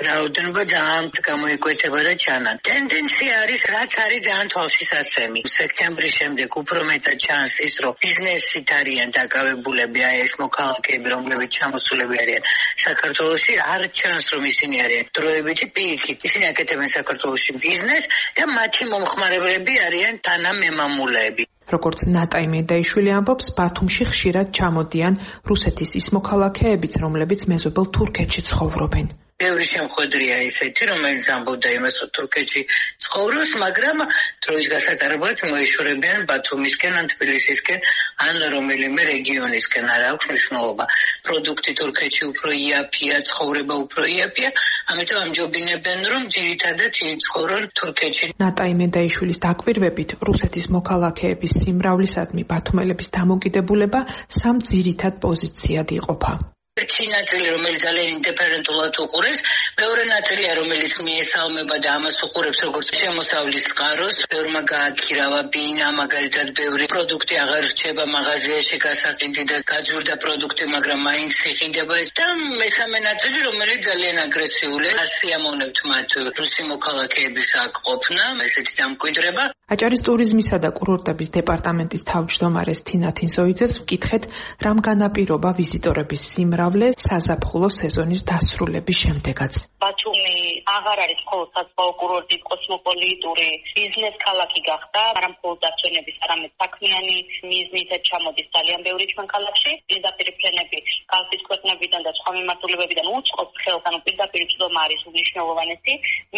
რაოდენობა ძალიან გამოიკვეთება და ჩანან. ტენდენცია არის, რაც არის ძალიან თვალშესაცემი. სექტემბრის შემდეგ უფრო მეტად ჩანს ის, რომ ბიზნესით არიან დაკავებულები, აი ეს მოქალაქეები, რომლებიც ჩამოსულები არიან საქართველოში, არ ჩანს, რომ ისინი არიან დროებითი პირიქით. ისინი აკეთებენ საქართველოში ბიზნესს და მათი მომხმარებლები არიან თანამემამულეები. როგორც ნატაი მედაიშვილი ამბობს, ბათუმში ხშირად ჩამოდიან რუსეთის ის მოქალაქეებიც, რომლებიც მეზობელ თურქეთში ცხოვრობენ. ბევრი შემხვედრია ისეთი, რომელიც ამბობდა იმას, რომ თურქეთში ცხოვრობს, მაგრამ დროის გასატარებლად მოეშორებიან ბათუმისკენ ან თბილისისკენ ან რომელიმე რეგიონისკენ. არ აქვს მნიშვნელობა. პროდუქტი თურქეთში უფრო იაფია, ცხოვრება უფრო იაფია, ამიტომ ამჯობინებენ, რომ ძირითადად იცხოვრონ თურქეთში. ნატაი მედაიშვილის დაკვირვებით, რუსეთის მოქალაქეების სიმრავლისადმი ბათუმელების დამოკიდებულება 3 ძირითად პოზიციად იყოფა. ერთი ნაწილი, რომელიც ძალიან ინდიფერენტულად უყურეს, მეორე ნაწილია, რომელიც მიესალმება და ამას უყურებს როგორც შემოსავლის წყაროს, ბევრმა გააქირავა ბინა, მაგალითად, ბევრი პროდუქტი აღარ რჩება მაღაზიაში გასაყიდი და გაძვირდა პროდუქტი, მაგრამ მაინც იყიდება და მესამე ნაწილი, რომელიც ძალიან აგრესიულია. ასიამოვნებთ მათ რუსი მოქალაქეების აქ ყოფნა, ესეთი დამკვიდრება. აჭარის ტურიზმისა და კურორტების დეპარტამენტის თავმჯდომარეს თინა თინსოიძეს ვკითხეთ, რამ განაპირობა ვიზიტორების სიმრავლე საზაფხულო სეზონის დასრულების შემდეგაც. ბათუმი აღარ არის მხოლოდ საზღვაო კურორტი, კოსმოპოლიტური ბიზნეს ქალაქი გახდა, არა მხოლოდ დაცვენების, არამედ საქმიანი მიზნით ჩამოდის ძალიან ბევრი ჩვენ ქალაქში. პირდაპირ ფრენები კალთის ქვეყნებიდან და სხვა მიმართულებებიდან უწყობს ხელს, ანუ პირდაპირ წვდომა არის უმნიშვნელოვანესი.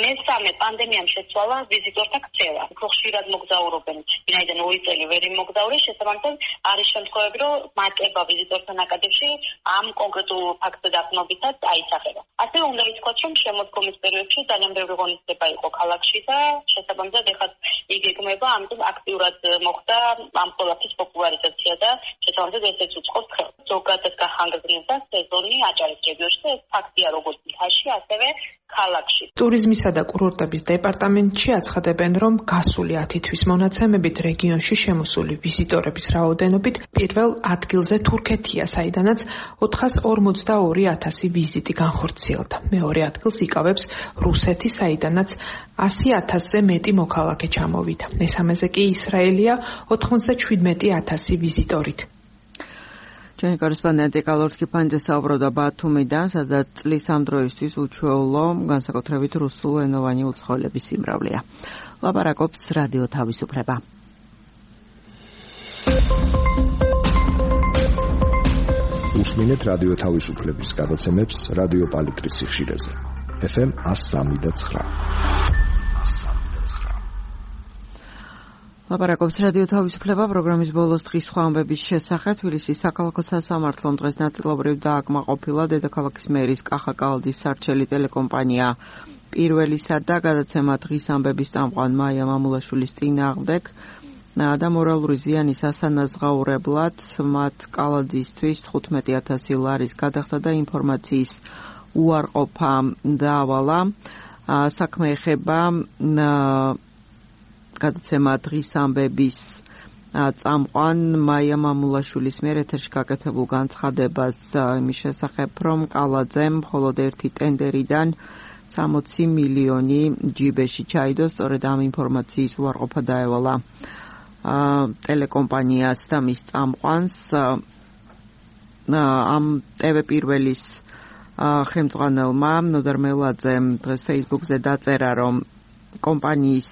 მესამე, პანდემიამ შეცვალა ვიზიტორთა ქცევა. უფრო ხშირად მოგზაურობენ, ვინაიდან 2 წელი ვერ იმოგზაურეს, შესაბამისად არის შემთხვევები, რომ მატება ვიზიტორთა ნაკადებში ამ კონკრეტულ ფაქტზე დაყრდნობითაც აისახება. ასევე უნდა ითქვას, რომ შემოდგომის პერიოდში ძალიან ბევრი ღონისძიება იყო ქალაქში და შესაბამისად ეხლა იგი იგმება, ამიტომ აქტიურად მოხდა ამ ყველაფრის პოპულარიზაცია და შესაბამისად ესეც უწყობს ხელს. ზოგადად გახანგრძლივდა სეზონი აჭარის რეგიონში და ეს ფაქტია როგორც მთაში, ასევე ქალაქში. ტურიზმისა და კურორტების დეპარტამენტში აცხადებენ, რომ გასული 10 თვის მონაცემებით რეგიონში შემოსული ვიზიტორების რაოდენობით პირველ ადგილზე თურქეთია, საიდანაც 442,000 ვიზიტი განხორციელდა. მეორე ადგილს იკავებს რუსეთი, საიდანაც 100,000-ზე მეტი მოქალაქე ჩამოვიდა. მესამეზე კი ისრაელია 97,000 ვიზიტორით. ჩვენი კორესპონდენტი კალორთ კიფანიძე საუბრობდა ბათუმიდან, სადაც წლის ამ დროისთვის უჩვეულო, განსაკუთრებით რუსულენოვანი უცხოელების სიმრავლეა. ლაპარაკობს რადიო თავისუფლება. უსმინეთ რადიო თავისუფლების გადაცემებს რადიო პალიტრის სიხშირეზე. FM 103.9. ლაპარაკობს რადიო თავისუფლება პროგრამის ბოლოს დღის სხვა ამბების შესახებ. თბილისის საქალაქო სასამართლომ დღეს ნაწილობრივ დააკმაყოფილა დედაქალაქის მერის კახა კალდის სარჩელი ტელეკომპანია პირველისა და გადაცემა დღის ამბების წამყვან მაია მამულაშვილის წინააღმდეგ და მორალური ზიანის ასანაზღაურებლად მათ კალაძისთვის 15,000 ლარის გადახდა და ინფორმაციის უარყოფა დაავალა. საქმე ეხება გადაცემა დღის ამბების წამყვან მაია მამულაშვილის მიერ ეთერში გაკეთებულ განცხადებას იმის შესახებ, რომ კალაძემ მხოლოდ ერთი ტენდერიდან 60 მილიონი ჯიბეში ჩაიდო, სწორედ ამ ინფორმაციის უარყოფა დაევალა ტელეკომპანიას და მის წამყვანს. ამ TV პირველის ხელმძღვანელმა ნოდარ მელაძემ დღეს Facebook-ზე დაწერა, რომ კომპანიის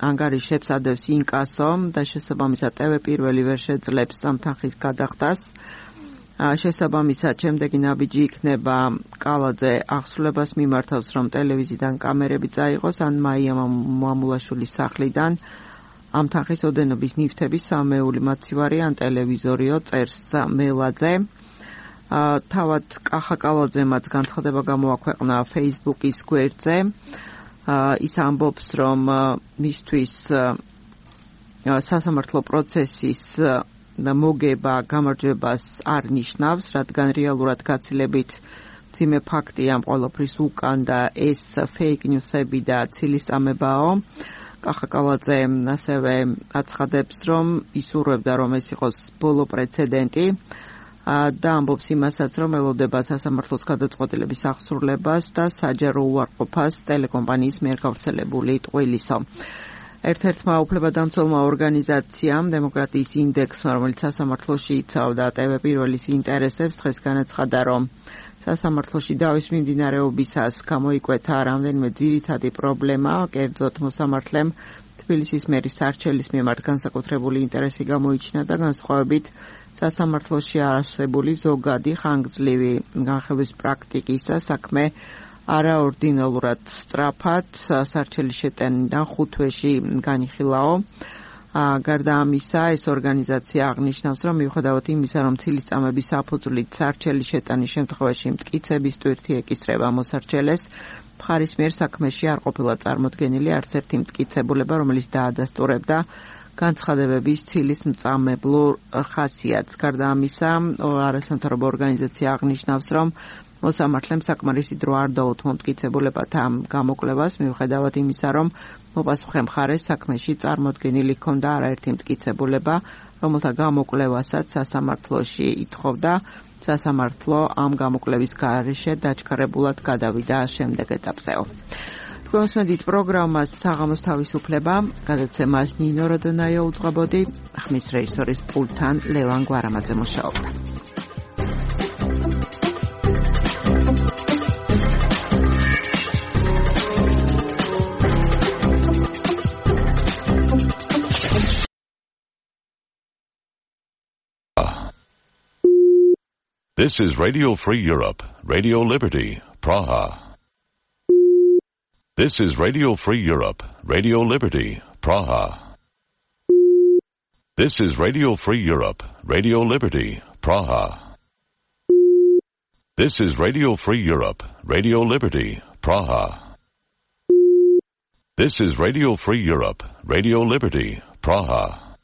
ანგარიშებს ადევს ინკასო და შესაბამისად TV პირველი ვერ შეძლებს ამ თანხის გადახდას. შესაბამისად შემდეგი ნაბიჯი იქნება კალაძე აღსრულებას მიმართავს, რომ ტელევიზიიდან კამერები წაიღოს ან მაია მამულაშვილის სახლიდან ამ თანხის ოდენობის ნივთების სამეული მაცივარი ან ტელევიზორიო, წერს მელაძე. თავად კახა კალაძემაც განცხადება გამოაქვეყნა Facebook-ის გვერდზე. ის ამბობს, რომ მისთვის სასამართლო პროცესის მოგება გამარჯვებას არ ნიშნავს, რადგან რეალურად გაცილებით მძიმე ფაქტია ამ ყველაფრის უკან და ეს fake news-ები და ცილისწამებაო. კახა კალაძე ასევე აცხადებს, რომ ისურვებდა, რომ ეს იყოს ბოლო პრეცედენტი და ამბობს იმასაც, რომ ელოდება სასამართლოს გადაწყვეტილების აღსრულებას და საჯარო უარყოფას ტელეკომპანიის მიერ გავრცელებული ტყუილისო. ერთ-ერთმა უფლებადამცველმა ორგანიზაციამ დემოკრატიის ინდექსმა, რომელიც სასამართლოში იცავდა TV პირველის ინტერესებს, დღეს განაცხადა, რომ სასამართლოში დავის მიმდინარეობისას გამოიკვეთა რამდენიმე ძირითადი პრობლემა, კერძოდ მოსამართლემ თბილისის მერის სარჩელის მიმართ განსაკუთრებული ინტერესი გამოიჩინა და განსხვავებით სასამართლოში არსებული ზოგადი ხანგრძლივი განხილვის პრაქტიკის და საქმე არაორდინალურად სწრაფად სარჩელის შეტანიდან 5 თვეში განიხილაო. გარდა ამისა, ეს ორგანიზაცია აღნიშნავს, რომ მიუხედავად იმისა, რომ ცილისწამების საფუძვლით სარჩელის შეტანის შემთხვევაში მტკიცების ტვირთი ეკისრება მოსარჩელეს, მხარის მიერ საქმეში არ ყოფილა წარმოდგენილი არც ერთი მტკიცებულება, რომელიც დაადასტურებდა განცხადებების ცილის მწამებლო ხასიათს. გარდა ამისა, არასამთავრობო ორგანიზაცია აღნიშნავს, რომ მოსამართლემ საკმარისი დრო არ დაუთმო მტკიცებულებად ამ გამოკვლევას, მიუხედავად იმისა, რომ მოპასუხე მხარეს საქმეში წარმოდგენილი ჰქონდა არაერთი მტკიცებულება, რომელთა გამოკვლევასაც სასამართლოში ითხოვდა. სასამართლო ამ გამოკვლევის გარეშე დაჩქარებულად გადავიდა შემდეგ ეტაპზეო. თქვენ უსმენთ პროგრამას საღამოს თავისუფლება, გადაცემას ნინო როდონაიო უძღვებოდი, ხმის რეჟისორის პულტთან ლევან გვარამაძე მუშაობდა. This is Radio Free Europe, Radio Liberty, Praha. This is Radio Free Europe, Radio Liberty, Praha. This is Radio Free Europe, Radio Liberty, Praha. This is Radio Free Europe, Radio Liberty, Praha. This is Radio Free Europe, Radio Liberty, Praha.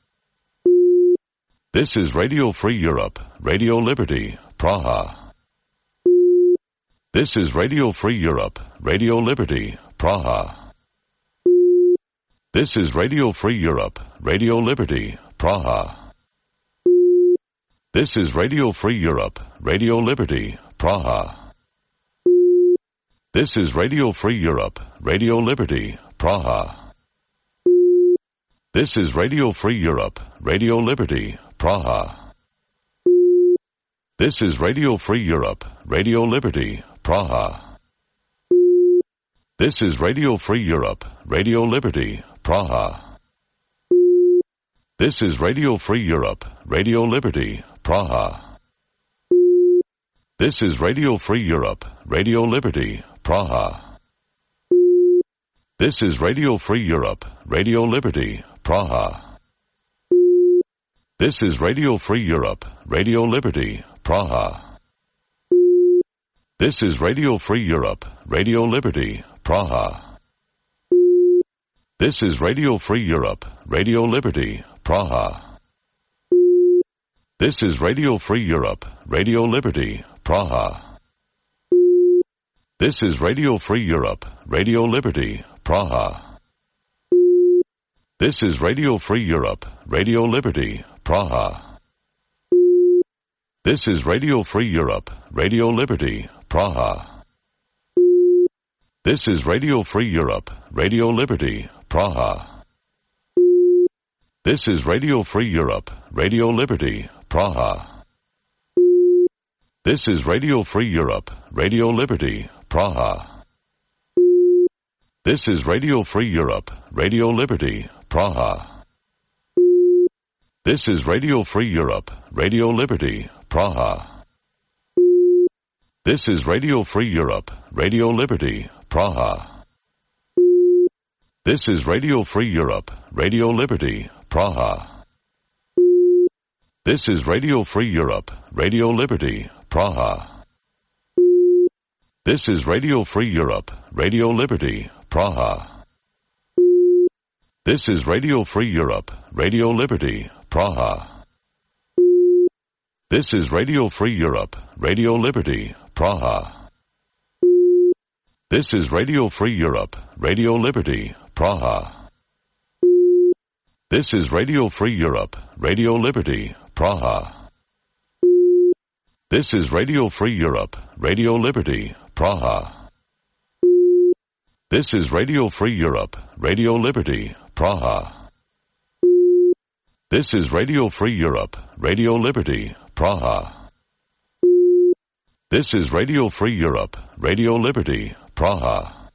This is Radio Free Europe, Radio Liberty, Praha. This is Radio Free Europe, Radio Liberty, Praha. This is Radio Free Europe, Radio Liberty, Praha. This is Radio Free Europe, Radio Liberty, Praha. This is Radio Free Europe, Radio Liberty, Praha. This is Radio Free Europe, Radio Liberty, Praha. This is Radio Free Europe, Radio Liberty, Praha. This is Radio Free Europe, Radio Liberty, Praha. This is Radio Free Europe, Radio Liberty, Praha. This is Radio Free Europe, Radio Liberty, Praha. This is Radio Free Europe, Radio Liberty, Praha. This is Radio Free Europe, Radio Liberty, Praha. This is Radio Free Europe, Radio Liberty, Praha. This is Radio Free Europe, Radio Liberty, Praha. This is Radio Free Europe, Radio Liberty, Praha. This is Radio Free Europe, Radio Liberty, Praha. This is Radio Free Europe, Radio Liberty, Praha. This is Radio Free Europe, Radio Liberty, Praha. This is Radio Free Europe, Radio Liberty, Praha. This is Radio Free Europe, Radio Liberty, Praha. This is Radio Free Europe, Radio Liberty, Praha. This is Radio Free Europe, Radio Liberty, Praha. This is Radio Free Europe, Radio Liberty, Praha. This is Radio Free Europe, Radio Liberty, Praha. This is Radio Free Europe, Radio Liberty, Praha. This is Radio Free Europe, Radio Liberty, Praha. This is Radio Free Europe, Radio Liberty, Praha. This is Radio Free Europe, Radio Liberty, Praha. This is Radio Free Europe, Radio Liberty, Praha. This is Radio Free Europe, Radio Liberty, Praha. This is Radio Free Europe, Radio Liberty, Praha. This is Radio Free Europe, Radio Liberty, Praha. This is Radio Free Europe, Radio Liberty, Praha. This is Radio Free Europe, Radio Liberty, Praha. This is Radio Free Europe, Radio Liberty, Praha.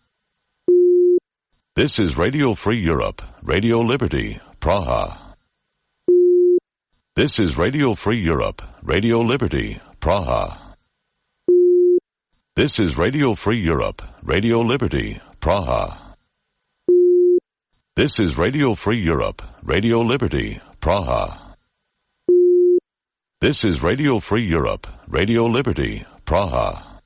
This is Radio Free Europe, Radio Liberty, Praha. This is Radio Free Europe, Radio Liberty, Praha. This is Radio Free Europe, Radio Liberty, Praha. This is Radio Free Europe, Radio Liberty, Praha. This is Radio Free Europe, Radio Liberty, Praha.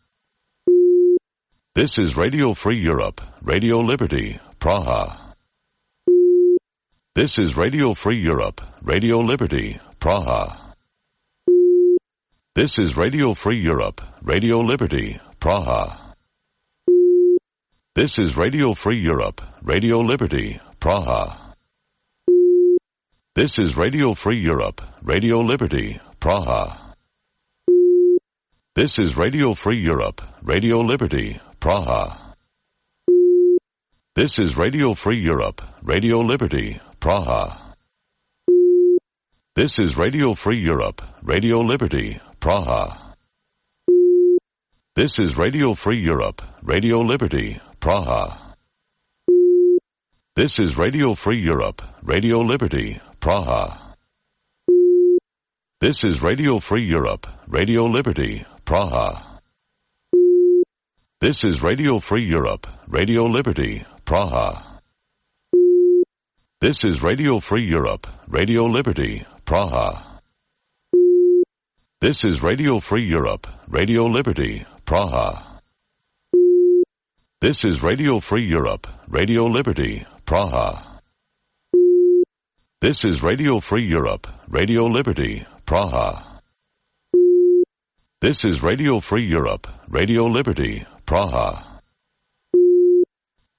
This is Radio Free Europe, Radio Liberty, Praha. This is Radio Free Europe, Radio Liberty, Praha. This is Radio Free Europe, Radio Liberty, Praha. This is Radio Free Europe, Radio Liberty, Praha. This is Radio Free Europe, Radio Liberty, Praha. This is Radio Free Europe, Radio Liberty, Praha. This is Radio Free Europe, Radio Liberty, Praha. This is Radio Free Europe, Radio Liberty, Praha. This is Radio Free Europe, Radio Liberty, Praha. This is Radio Free Europe, Radio Liberty, Praha. This is Radio Free Europe, Radio Liberty, Praha. This is Radio Free Europe, Radio Liberty, Praha. This is Radio Free Europe, Radio Liberty, Praha. This is Radio Free Europe, Radio Liberty, Praha. This is Radio Free Europe, Radio Liberty, Praha. This is Radio Free Europe, Radio Liberty, Praha. This is Radio Free Europe, Radio Liberty, Praha.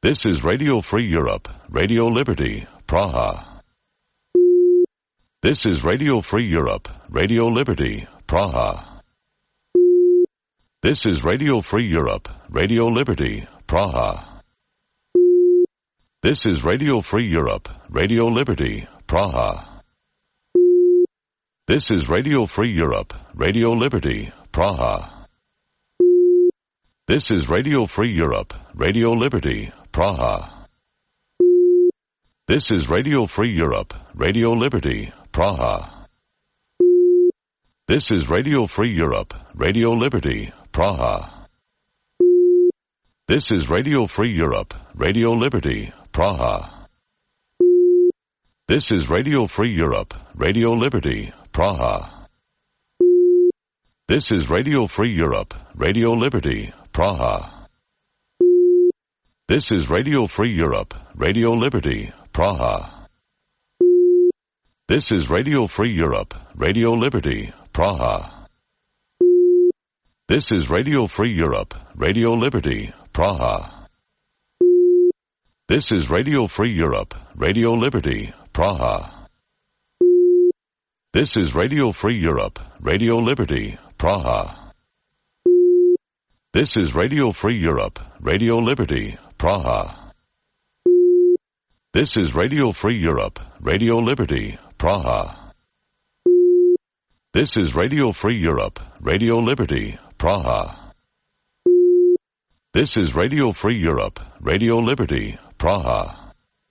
This is Radio Free Europe, Radio Liberty, Praha. This is Radio Free Europe, Radio Liberty, Praha. This is Radio Free Europe, Radio Liberty, Praha. This is Radio Free Europe, Radio Liberty, Praha. This is Radio Free Europe, Radio Liberty, Praha. This is Radio Free Europe, Radio Liberty, Praha. This is Radio Free Europe, Radio Liberty, Praha. This is Radio Free Europe, Radio Liberty, Praha. This is Radio Free Europe, Radio Liberty, Praha. This is Radio Free Europe, Radio Liberty, Praha. This is Radio Free Europe, Radio Liberty, Praha. This is Radio Free Europe, Radio Liberty, Praha. This is Radio Free Europe, Radio Liberty, Praha. This is Radio Free Europe, Radio Liberty, Praha. This is Radio Free Europe, Radio Liberty, Praha. This is Radio Free Europe, Radio Liberty, Praha. This is Radio Free Europe, Radio Liberty, Praha. This is Radio Free Europe, Radio Liberty, Praha. This is Radio Free Europe, Radio Liberty, Praha. This is Radio Free Europe, Radio Liberty, Praha.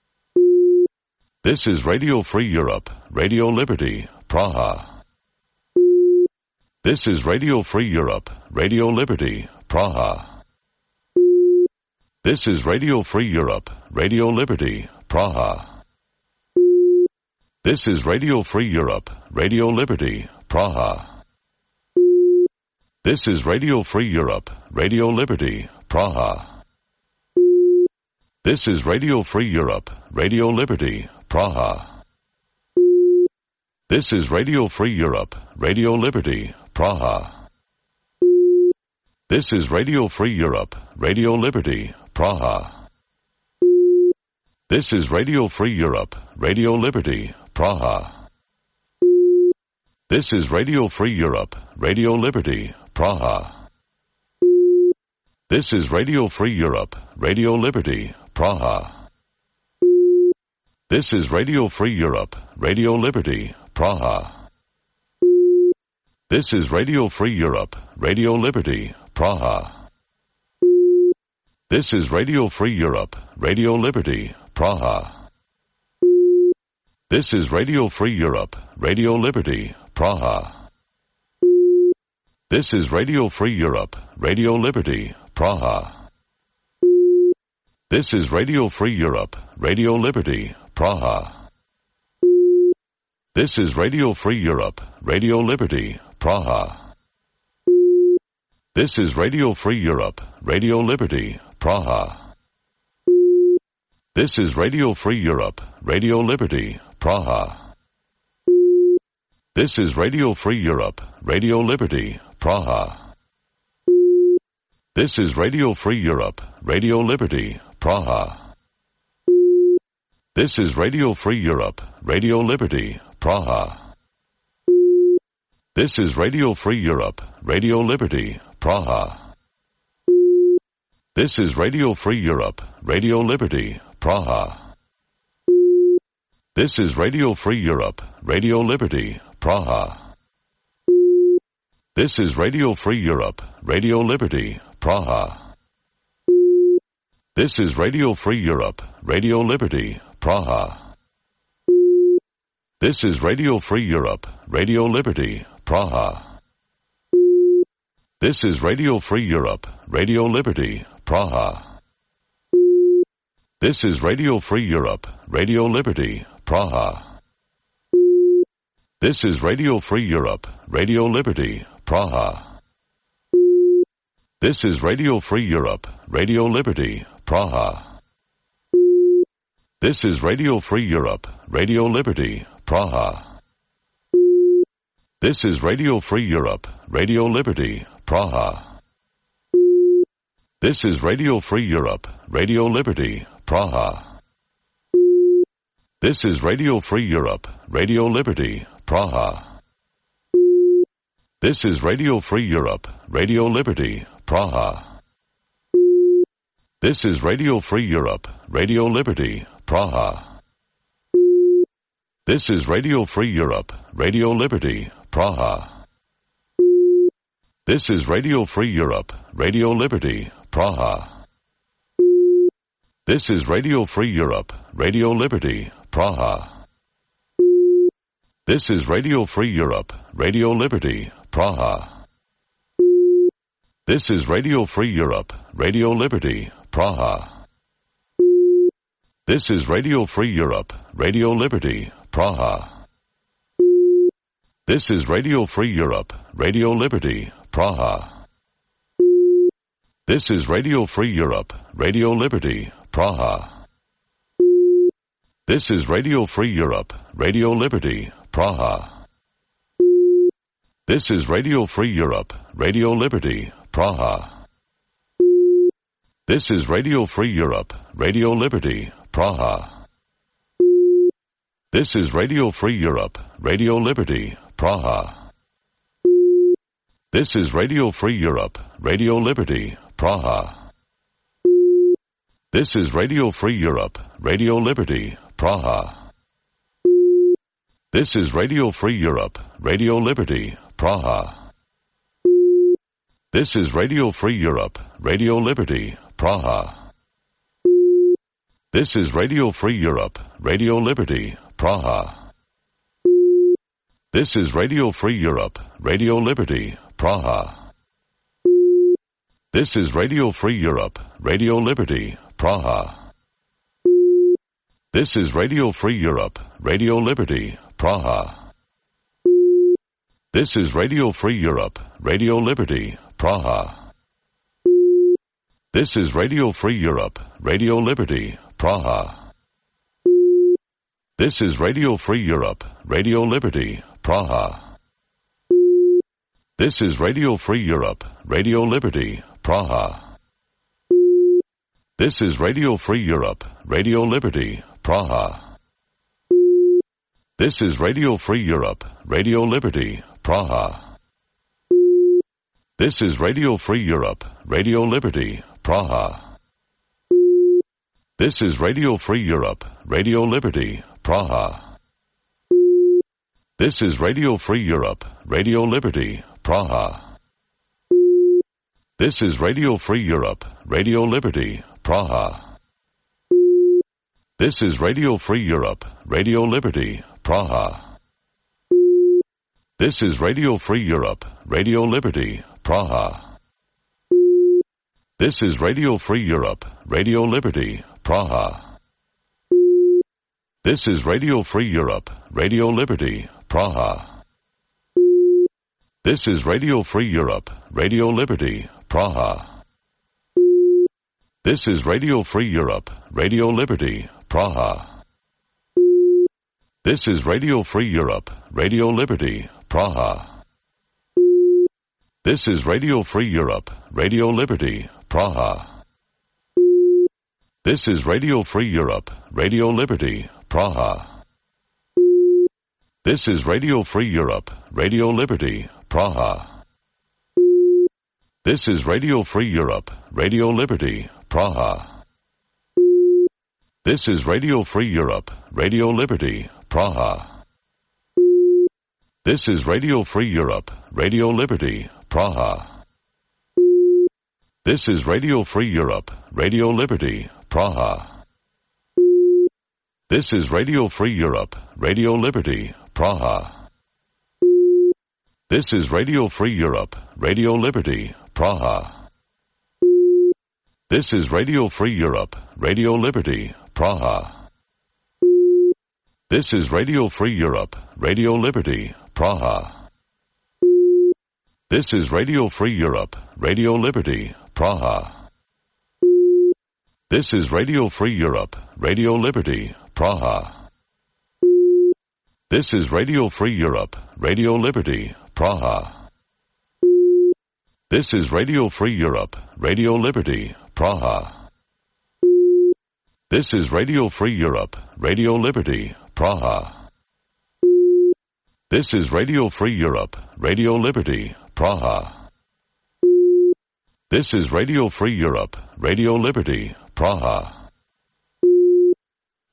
This is Radio Free Europe, Radio Liberty, Praha. This is Radio Free Europe, Radio Liberty, Praha. This is Radio Free Europe, Radio Liberty, Praha. This is Radio Free Europe, Radio Liberty, Praha. This is Radio Free Europe, Radio Liberty, Praha. This is Radio Free Europe, Radio Liberty, Praha. This is Radio Free Europe, Radio Liberty, Praha. This is Radio Free Europe, Radio Liberty, Praha. This is Radio Free Europe, Radio Liberty, Praha. This is Radio Free Europe, Radio Liberty, Praha. This is Radio Free Europe, Radio Liberty, Praha. This is Radio Free Europe, Radio Liberty, Praha. This is Radio Free Europe, Radio Liberty, Praha. This is Radio Free Europe, Radio Liberty, Praha. This is Radio Free Europe, Radio Liberty, Praha. This is Radio Free Europe, Radio Liberty, Praha. This is Radio Free Europe, Radio Liberty, Praha. This is Radio Free Europe, Radio Liberty, Praha. This is Radio Free Europe, Radio Liberty, Praha. This is Radio Free Europe, Radio Liberty, Praha. This is Radio Free Europe, Radio Liberty, Praha. This is Radio Free Europe, Radio Liberty, Praha. This is Radio Free Europe, Radio Liberty, Praha. This is Radio Free Europe, Radio Liberty, Praha. This is Radio Free Europe, Radio Liberty, Praha. This is Radio Free Europe, Radio Liberty, Praha. This is Radio Free Europe, Radio Liberty, Praha. This is Radio Free Europe, Radio Liberty, Praha. This is Radio Free Europe, Radio Liberty, Praha. This is Radio Free Europe, Radio Liberty, Praha. This is Radio Free Europe, Radio Liberty, Praha. This is Radio Free Europe, Radio Liberty, Praha. This is Radio Free Europe, Radio Liberty, Praha. This is Radio Free Europe, Radio Liberty, Praha. This is Radio Free Europe, Radio Liberty, Praha. This is Radio Free Europe, Radio Liberty, Praha. This is Radio Free Europe, Radio Liberty, Praha. This is Radio Free Europe, Radio Liberty, Praha. This is Radio Free Europe, Radio Liberty, Praha. This is Radio Free Europe, Radio Liberty, Praha. This is Radio Free Europe, Radio Liberty, Praha. This is Radio Free Europe, Radio Liberty, Praha. This is Radio Free Europe, Radio Liberty, Praha. This is Radio Free Europe, Radio Liberty, Praha. This is Radio Free Europe, Radio Liberty, Praha. This is Radio Free Europe, Radio Liberty, Praha. This is Radio Free Europe, Radio Liberty, Praha. This is Radio Free Europe, Radio Liberty, Praha. This is Radio Free Europe, Radio Liberty, Praha. This is Radio Free Europe, Radio Liberty, Praha. This is Radio Free Europe, Radio Liberty, Praha. This is Radio Free Europe, Radio Liberty, Praha. This is Radio Free Europe, Radio Liberty, Praha. This is Radio Free Europe, Radio Liberty, Praha. This is Radio Free Europe, Radio Liberty, Praha. This is Radio Free Europe, Radio Liberty, Praha. This is Radio Free Europe, Radio Liberty, Praha. This is Radio Free Europe, Radio Liberty, Praha. This is Radio Free Europe, Radio Liberty, Praha. This is Radio Free Europe, Radio Liberty, Praha. This is Radio Free Europe, Radio Liberty, Praha. This is Radio Free Europe, Radio Liberty, Praha. This is Radio Free Europe, Radio Liberty, Praha. This is Radio Free Europe, Radio Liberty, Praha. This is Radio Free Europe, Radio Liberty, Praha. This is Radio Free Europe, Radio Liberty, Praha. This is Radio Free Europe, Radio Liberty, Praha. This is Radio Free Europe, Radio Liberty, Praha. This is Radio Free Europe, Radio Liberty, Praha. This is Radio Free Europe, Radio Liberty, Praha. This is Radio Free Europe, Radio Liberty, Praha. This is Radio Free Europe, Radio Liberty, Praha. This is Radio Free Europe, Radio Liberty, Praha. This is Radio Free Europe, Radio Liberty, Praha. This is Radio Free Europe, Radio Liberty, Praha. This is Radio Free Europe, Radio Liberty, Praha. This is Radio Free Europe, Radio Liberty, Praha. This is Radio Free Europe, Radio Liberty, Praha. This is Radio Free Europe, Radio Liberty, Praha. This is Radio Free Europe, Radio Liberty, Praha. This is Radio Free Europe, Radio Liberty, Praha. This is Radio Free Europe, Radio Liberty, Praha. This is Radio Free Europe, Radio Liberty, Praha. This is Radio Free Europe, Radio Liberty, Praha. This is Radio Free Europe, Radio Liberty, Praha. This is Radio Free Europe, Radio Liberty, Praha. This is Radio Free Europe, Radio Liberty, Praha. This is Radio Free Europe, Radio Liberty, Praha. This is Radio Free Europe, Radio Liberty, Praha. This is Radio Free Europe, Radio Liberty, Praha. This is Radio Free Europe, Radio Liberty, Praha. This is Radio Free Europe, Radio Liberty, Praha. This is Radio Free Europe, Radio Liberty, Praha. This is Radio Free Europe, Radio Liberty, Praha.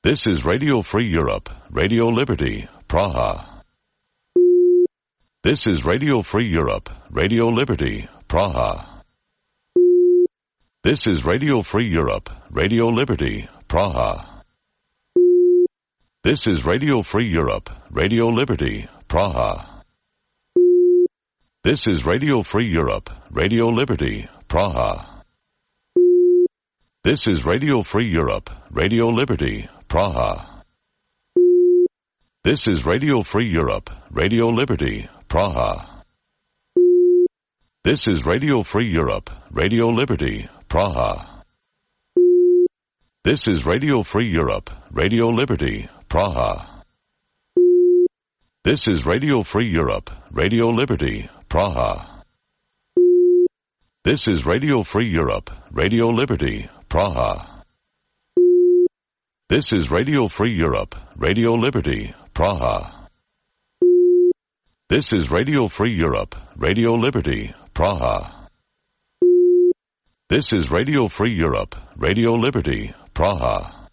This is Radio Free Europe, Radio Liberty, Praha. This is Radio Free Europe, Radio Liberty, Praha. This is Radio Free Europe, Radio Liberty, Praha. This is Radio Free Europe, Radio Liberty, Praha. This is Radio Free Europe, Radio Liberty, Praha. This is Radio Free Europe, Radio Liberty, Praha. This is Radio Free Europe, Radio Liberty, Praha. This is Radio Free Europe, Radio Liberty, Praha. This is Radio Free Europe, Radio Liberty, Praha. This is Radio Free Europe, Radio Liberty, Praha. This is Radio Free Europe, Radio Liberty, Praha. This is Radio Free Europe, Radio Liberty, Praha. This is Radio Free Europe, Radio Liberty, Praha. This is Radio Free Europe, Radio Liberty, Praha.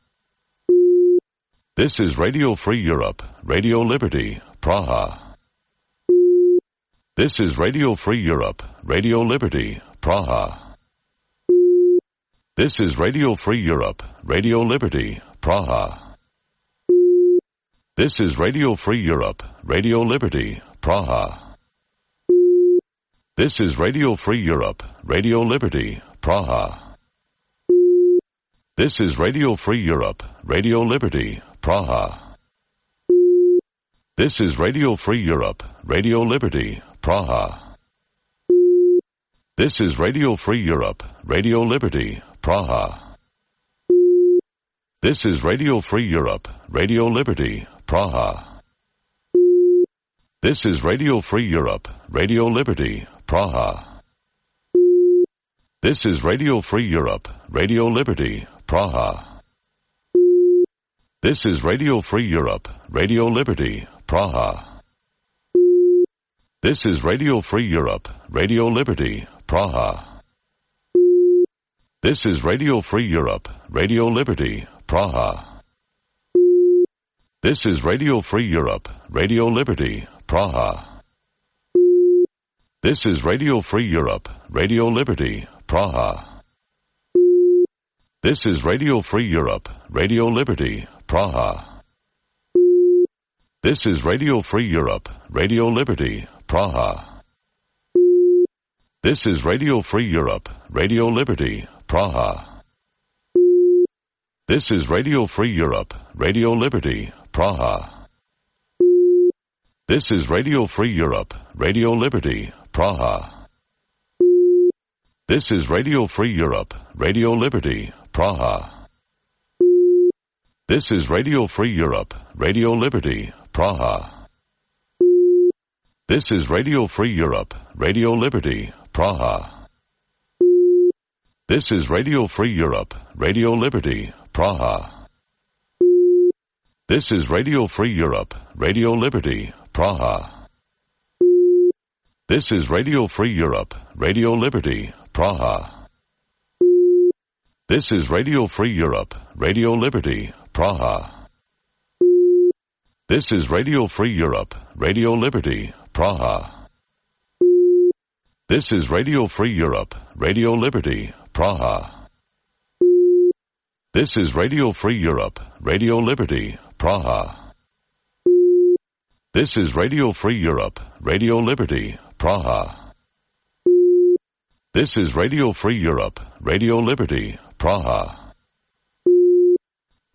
This is Radio Free Europe, Radio Liberty, Praha. This is Radio Free Europe, Radio Liberty, Praha. This is Radio Free Europe, Radio Liberty, Praha. This is Radio Free Europe, Radio Liberty, Praha. This is Radio Free Europe, Radio Liberty, Praha. This is Radio Free Europe, Radio Liberty, Praha. This is Radio Free Europe, Radio Liberty, Praha. This is Radio Free Europe, Radio Liberty, Praha. This is Radio Free Europe, Radio Liberty, Praha. This is Radio Free Europe, Radio Liberty, Praha. This is Radio Free Europe, Radio Liberty, Praha. This is Radio Free Europe, Radio Liberty, Praha. This is Radio Free Europe, Radio Liberty, Praha. This is Radio Free Europe, Radio Liberty, Praha. This is Radio Free Europe, Radio Liberty, Praha. This is Radio Free Europe, Radio Liberty, Praha. This is Radio Free Europe, Radio Liberty, Praha. This is Radio Free Europe, Radio Liberty, Praha. This is Radio Free Europe, Radio Liberty, Praha. This is Radio Free Europe, Radio Liberty, Praha. This is Radio Free Europe, Radio Liberty, Praha. This is Radio Free Europe, Radio Liberty, Praha. This is Radio Free Europe, Radio Liberty, Praha. This is Radio Free Europe, Radio Liberty, Praha. This is Radio Free Europe, Radio Liberty, Praha. This is Radio Free Europe, Radio Liberty, Praha. This is Radio Free Europe, Radio Liberty, Praha. This is Radio Free Europe, Radio Liberty, Praha. This is Radio Free Europe, Radio Liberty, Praha. This is Radio Free Europe, Radio Liberty, Praha. This is Radio Free Europe, Radio Liberty, Praha. This is Radio Free Europe, Radio Liberty, Praha. This is Radio Free Europe, Radio Liberty, Praha.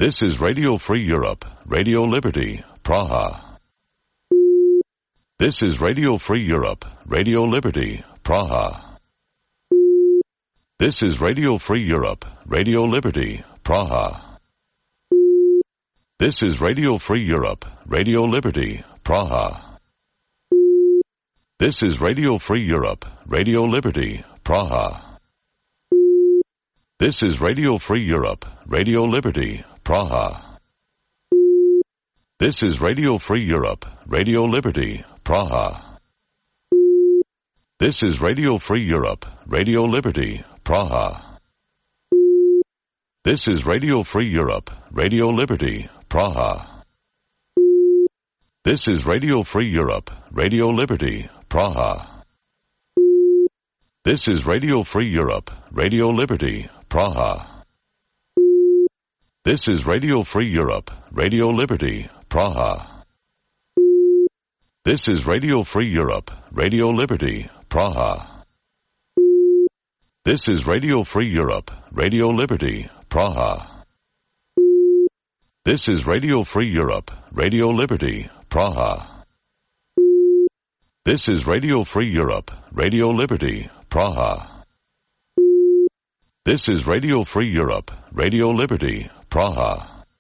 This is Radio Free Europe, Radio Liberty, Praha. This is Radio Free Europe, Radio Liberty, Praha. This is Radio Free Europe, Radio Liberty, Praha. This is Radio Free Europe, Radio Liberty, Praha. This is Radio Free Europe, Radio Liberty, Praha. This is Radio Free Europe, Radio Liberty, Praha. This is Radio Free Europe, Radio Liberty, Praha. This is Radio Free Europe, Radio Liberty, Praha. This is Radio Free Europe, Radio Liberty, Praha. This is Radio Free Europe, Radio Liberty, Praha. This is Radio Free Europe, Radio Liberty, Praha. This is Radio Free Europe, Radio Liberty, Praha. This is Radio Free Europe, Radio Liberty, Praha. This is Radio Free Europe, Radio Liberty, Praha. This is Radio Free Europe, Radio Liberty, Praha. This is Radio Free Europe, Radio Liberty, Praha. This is Radio Free Europe, Radio Liberty, Praha.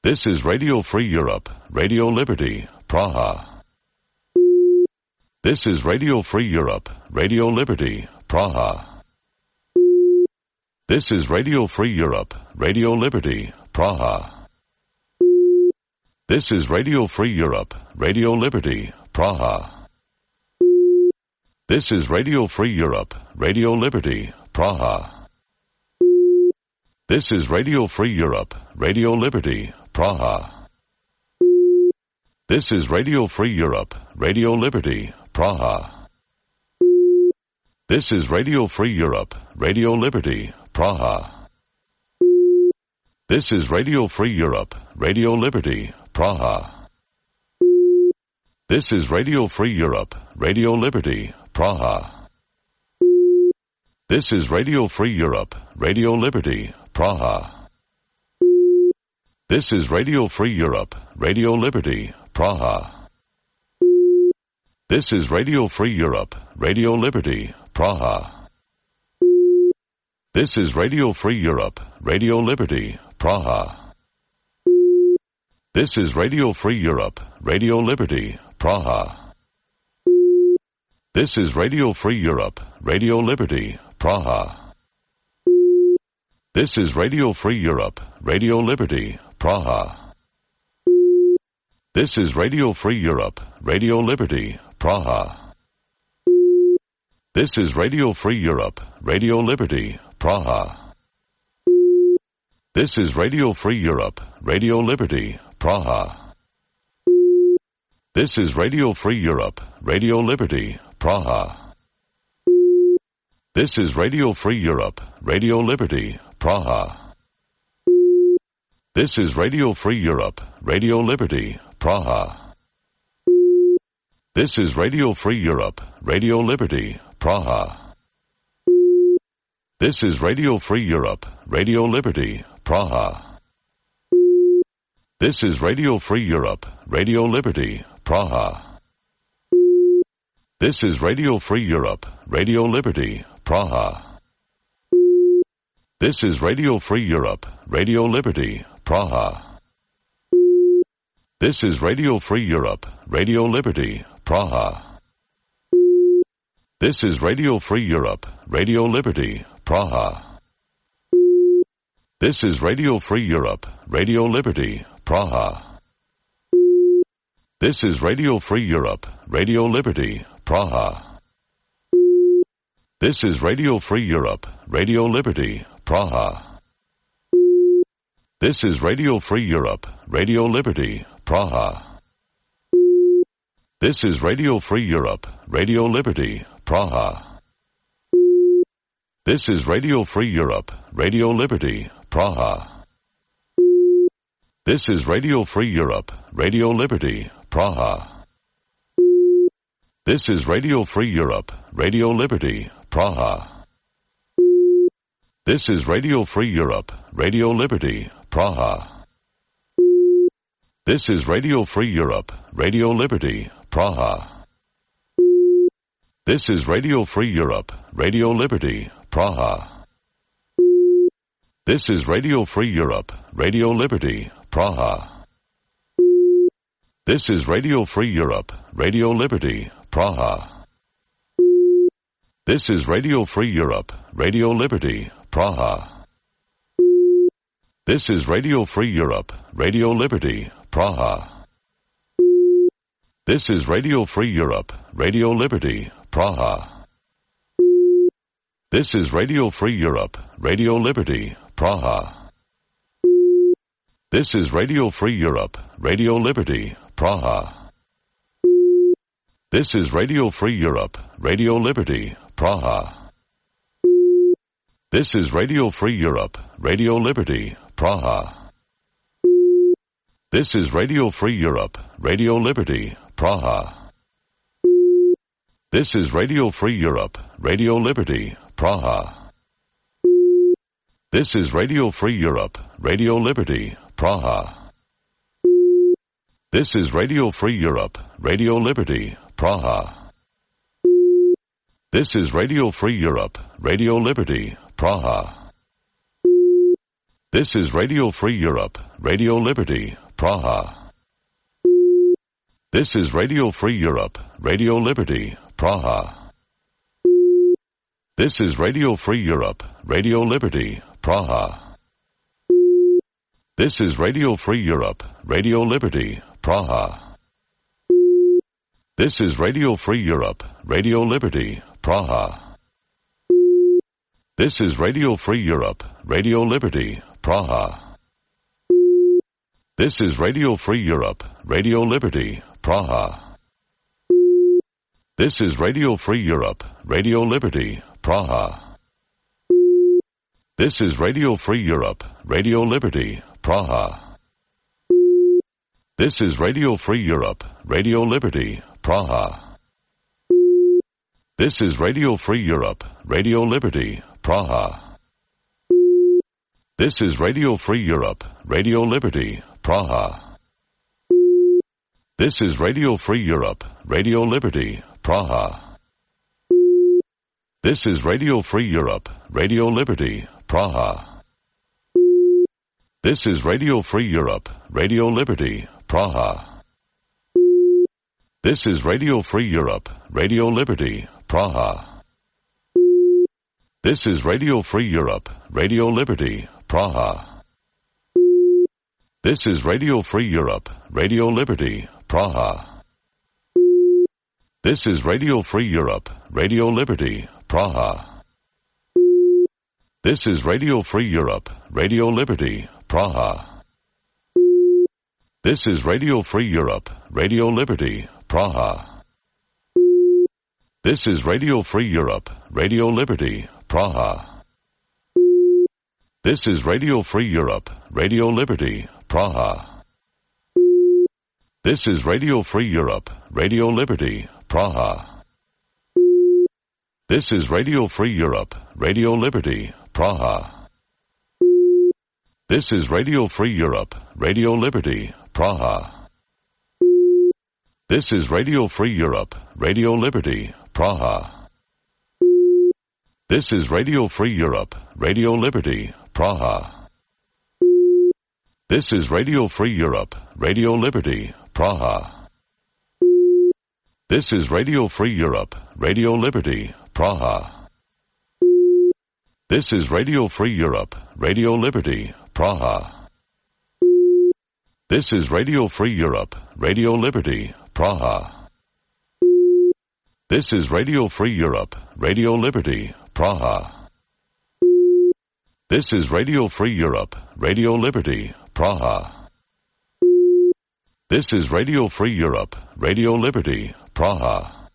This is Radio Free Europe, Radio Liberty, Praha. This is Radio Free Europe, Radio Liberty, Praha. This is Radio Free Europe, Radio Liberty, Praha. This is Radio Free Europe, Radio Liberty, Praha. This is Radio Free Europe, Radio Liberty, Praha. This is Radio Free Europe, Radio Liberty, Praha. This is Radio Free Europe, Radio Liberty, Praha. This is Radio Free Europe, Radio Liberty, Praha. This is Radio Free Europe, Radio Liberty, Praha. This is Radio Free Europe, Radio Liberty, Praha. This is Radio Free Europe, Radio Liberty, Praha. This is Radio Free Europe, Radio Liberty, Praha. This is Radio Free Europe, Radio Liberty, Praha. This is Radio Free Europe, Radio Liberty, Praha. This is Radio Free Europe, Radio Liberty, Praha. This is Radio Free Europe, Radio Liberty, Praha. This is Radio Free Europe, Radio Liberty, Praha. This is Radio Free Europe, Radio Liberty, Praha. This is Radio Free Europe, Radio Liberty, Praha. This is Radio Free Europe, Radio Liberty, Praha. This is Radio Free Europe, Radio Liberty, Praha. This is Radio Free Europe, Radio Liberty, Praha. This is Radio Free Europe, Radio Liberty, Praha. This is Radio Free Europe, Radio Liberty, Praha. This is Radio Free Europe, Radio Liberty, Praha. This is Radio Free Europe, Radio Liberty, Praha. This is Radio Free Europe, Radio Liberty, Praha. This is Radio Free Europe, Radio Liberty, Praha. This is Radio Free Europe, Radio Liberty, Praha. This is Radio Free Europe, Radio Liberty, Praha. This is Radio Free Europe, Radio Liberty, Praha. This is Radio Free Europe, Radio Liberty, Praha. This is Radio Free Europe, Radio Liberty, Praha. This is Radio Free Europe, Radio Liberty, Praha. This is Radio Free Europe, Radio Liberty, Praha. This is Radio Free Europe, Radio Liberty, Praha. This is Radio Free Europe, Radio Liberty, Praha. This is Radio Free Europe, Radio Liberty, Praha. This is Radio Free Europe, Radio Liberty, Praha. This is Radio Free Europe, Radio Liberty, Praha. This is Radio Free Europe, Radio Liberty, Praha. This is Radio Free Europe, Radio Liberty, Praha. This is Radio Free Europe, Radio Liberty, Praha. This is Radio Free Europe, Radio Liberty, Praha. This is Radio Free Europe, Radio Liberty, Praha. This is Radio Free Europe, Radio Liberty, Praha. This is Radio Free Europe, Radio Liberty, Praha. This is Radio Free Europe, Radio Liberty, Praha. This is Radio Free Europe, Radio Liberty, Praha. This is Radio Free Europe, Radio Liberty, Praha. This is Radio Free Europe, Radio Liberty, Praha. This is Radio Free Europe, Radio Liberty, Praha. This is Radio Free Europe, Radio Liberty, Praha. This is Radio Free Europe, Radio Liberty, Praha. This is Radio Free Europe, Radio Liberty, Praha. This is Radio Free Europe, Radio Liberty, Praha. This is Radio Free Europe, Radio Liberty, Praha. This is Radio Free Europe, Radio Liberty, Praha. This is Radio Free Europe, Radio Liberty, Praha. This is Radio Free Europe, Radio Liberty, Praha. This is Radio Free Europe, Radio Liberty, Praha. This is Radio Free Europe, Radio Liberty, Praha. This is Radio Free Europe, Radio Liberty, Praha. This is Radio Free Europe, Radio Liberty, Praha. This is Radio Free Europe, Radio Liberty, Praha. This is Radio Free Europe, Radio Liberty, Praha. This is Radio Free Europe, Radio Liberty, Praha. This is Radio Free Europe, Radio Liberty, Praha. This is Radio Free Europe, Radio Liberty, Praha. This is Radio Free Europe, Radio Liberty, Praha. This is Radio Free Europe, Radio Liberty, Praha. This is Radio Free Europe, Radio Liberty, Praha. This is Radio Free Europe, Radio Liberty, Praha. This is Radio Free Europe, Radio Liberty, Praha. This is Radio Free Europe, Radio Liberty, Praha. This is Radio Free Europe, Radio Liberty, Praha. This is Radio Free Europe, Radio Liberty, Praha. This is Radio Free Europe, Radio Liberty, Praha. This is Radio Free Europe, Radio Liberty, Praha. This is Radio Free Europe, Radio Liberty, Praha. This is Radio Free Europe, Radio Liberty, Praha. This is Radio Free Europe, Radio Liberty, Praha. This is Radio Free Europe, Radio Liberty, Praha. This is Radio Free Europe, Radio Liberty, Praha. This is Radio Free Europe, Radio Liberty, Praha. This is Radio Free Europe, Radio Liberty, Praha. This is Radio Free Europe, Radio Liberty, Praha. This is Radio Free Europe, Radio Liberty, Praha. This is Radio Free Europe, Radio Liberty, Praha. This is Radio Free Europe, Radio Liberty, Praha.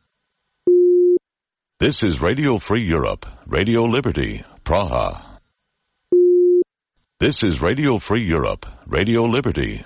This is Radio Free Europe, Radio Liberty, Praha. This is Radio Free Europe, Radio Liberty,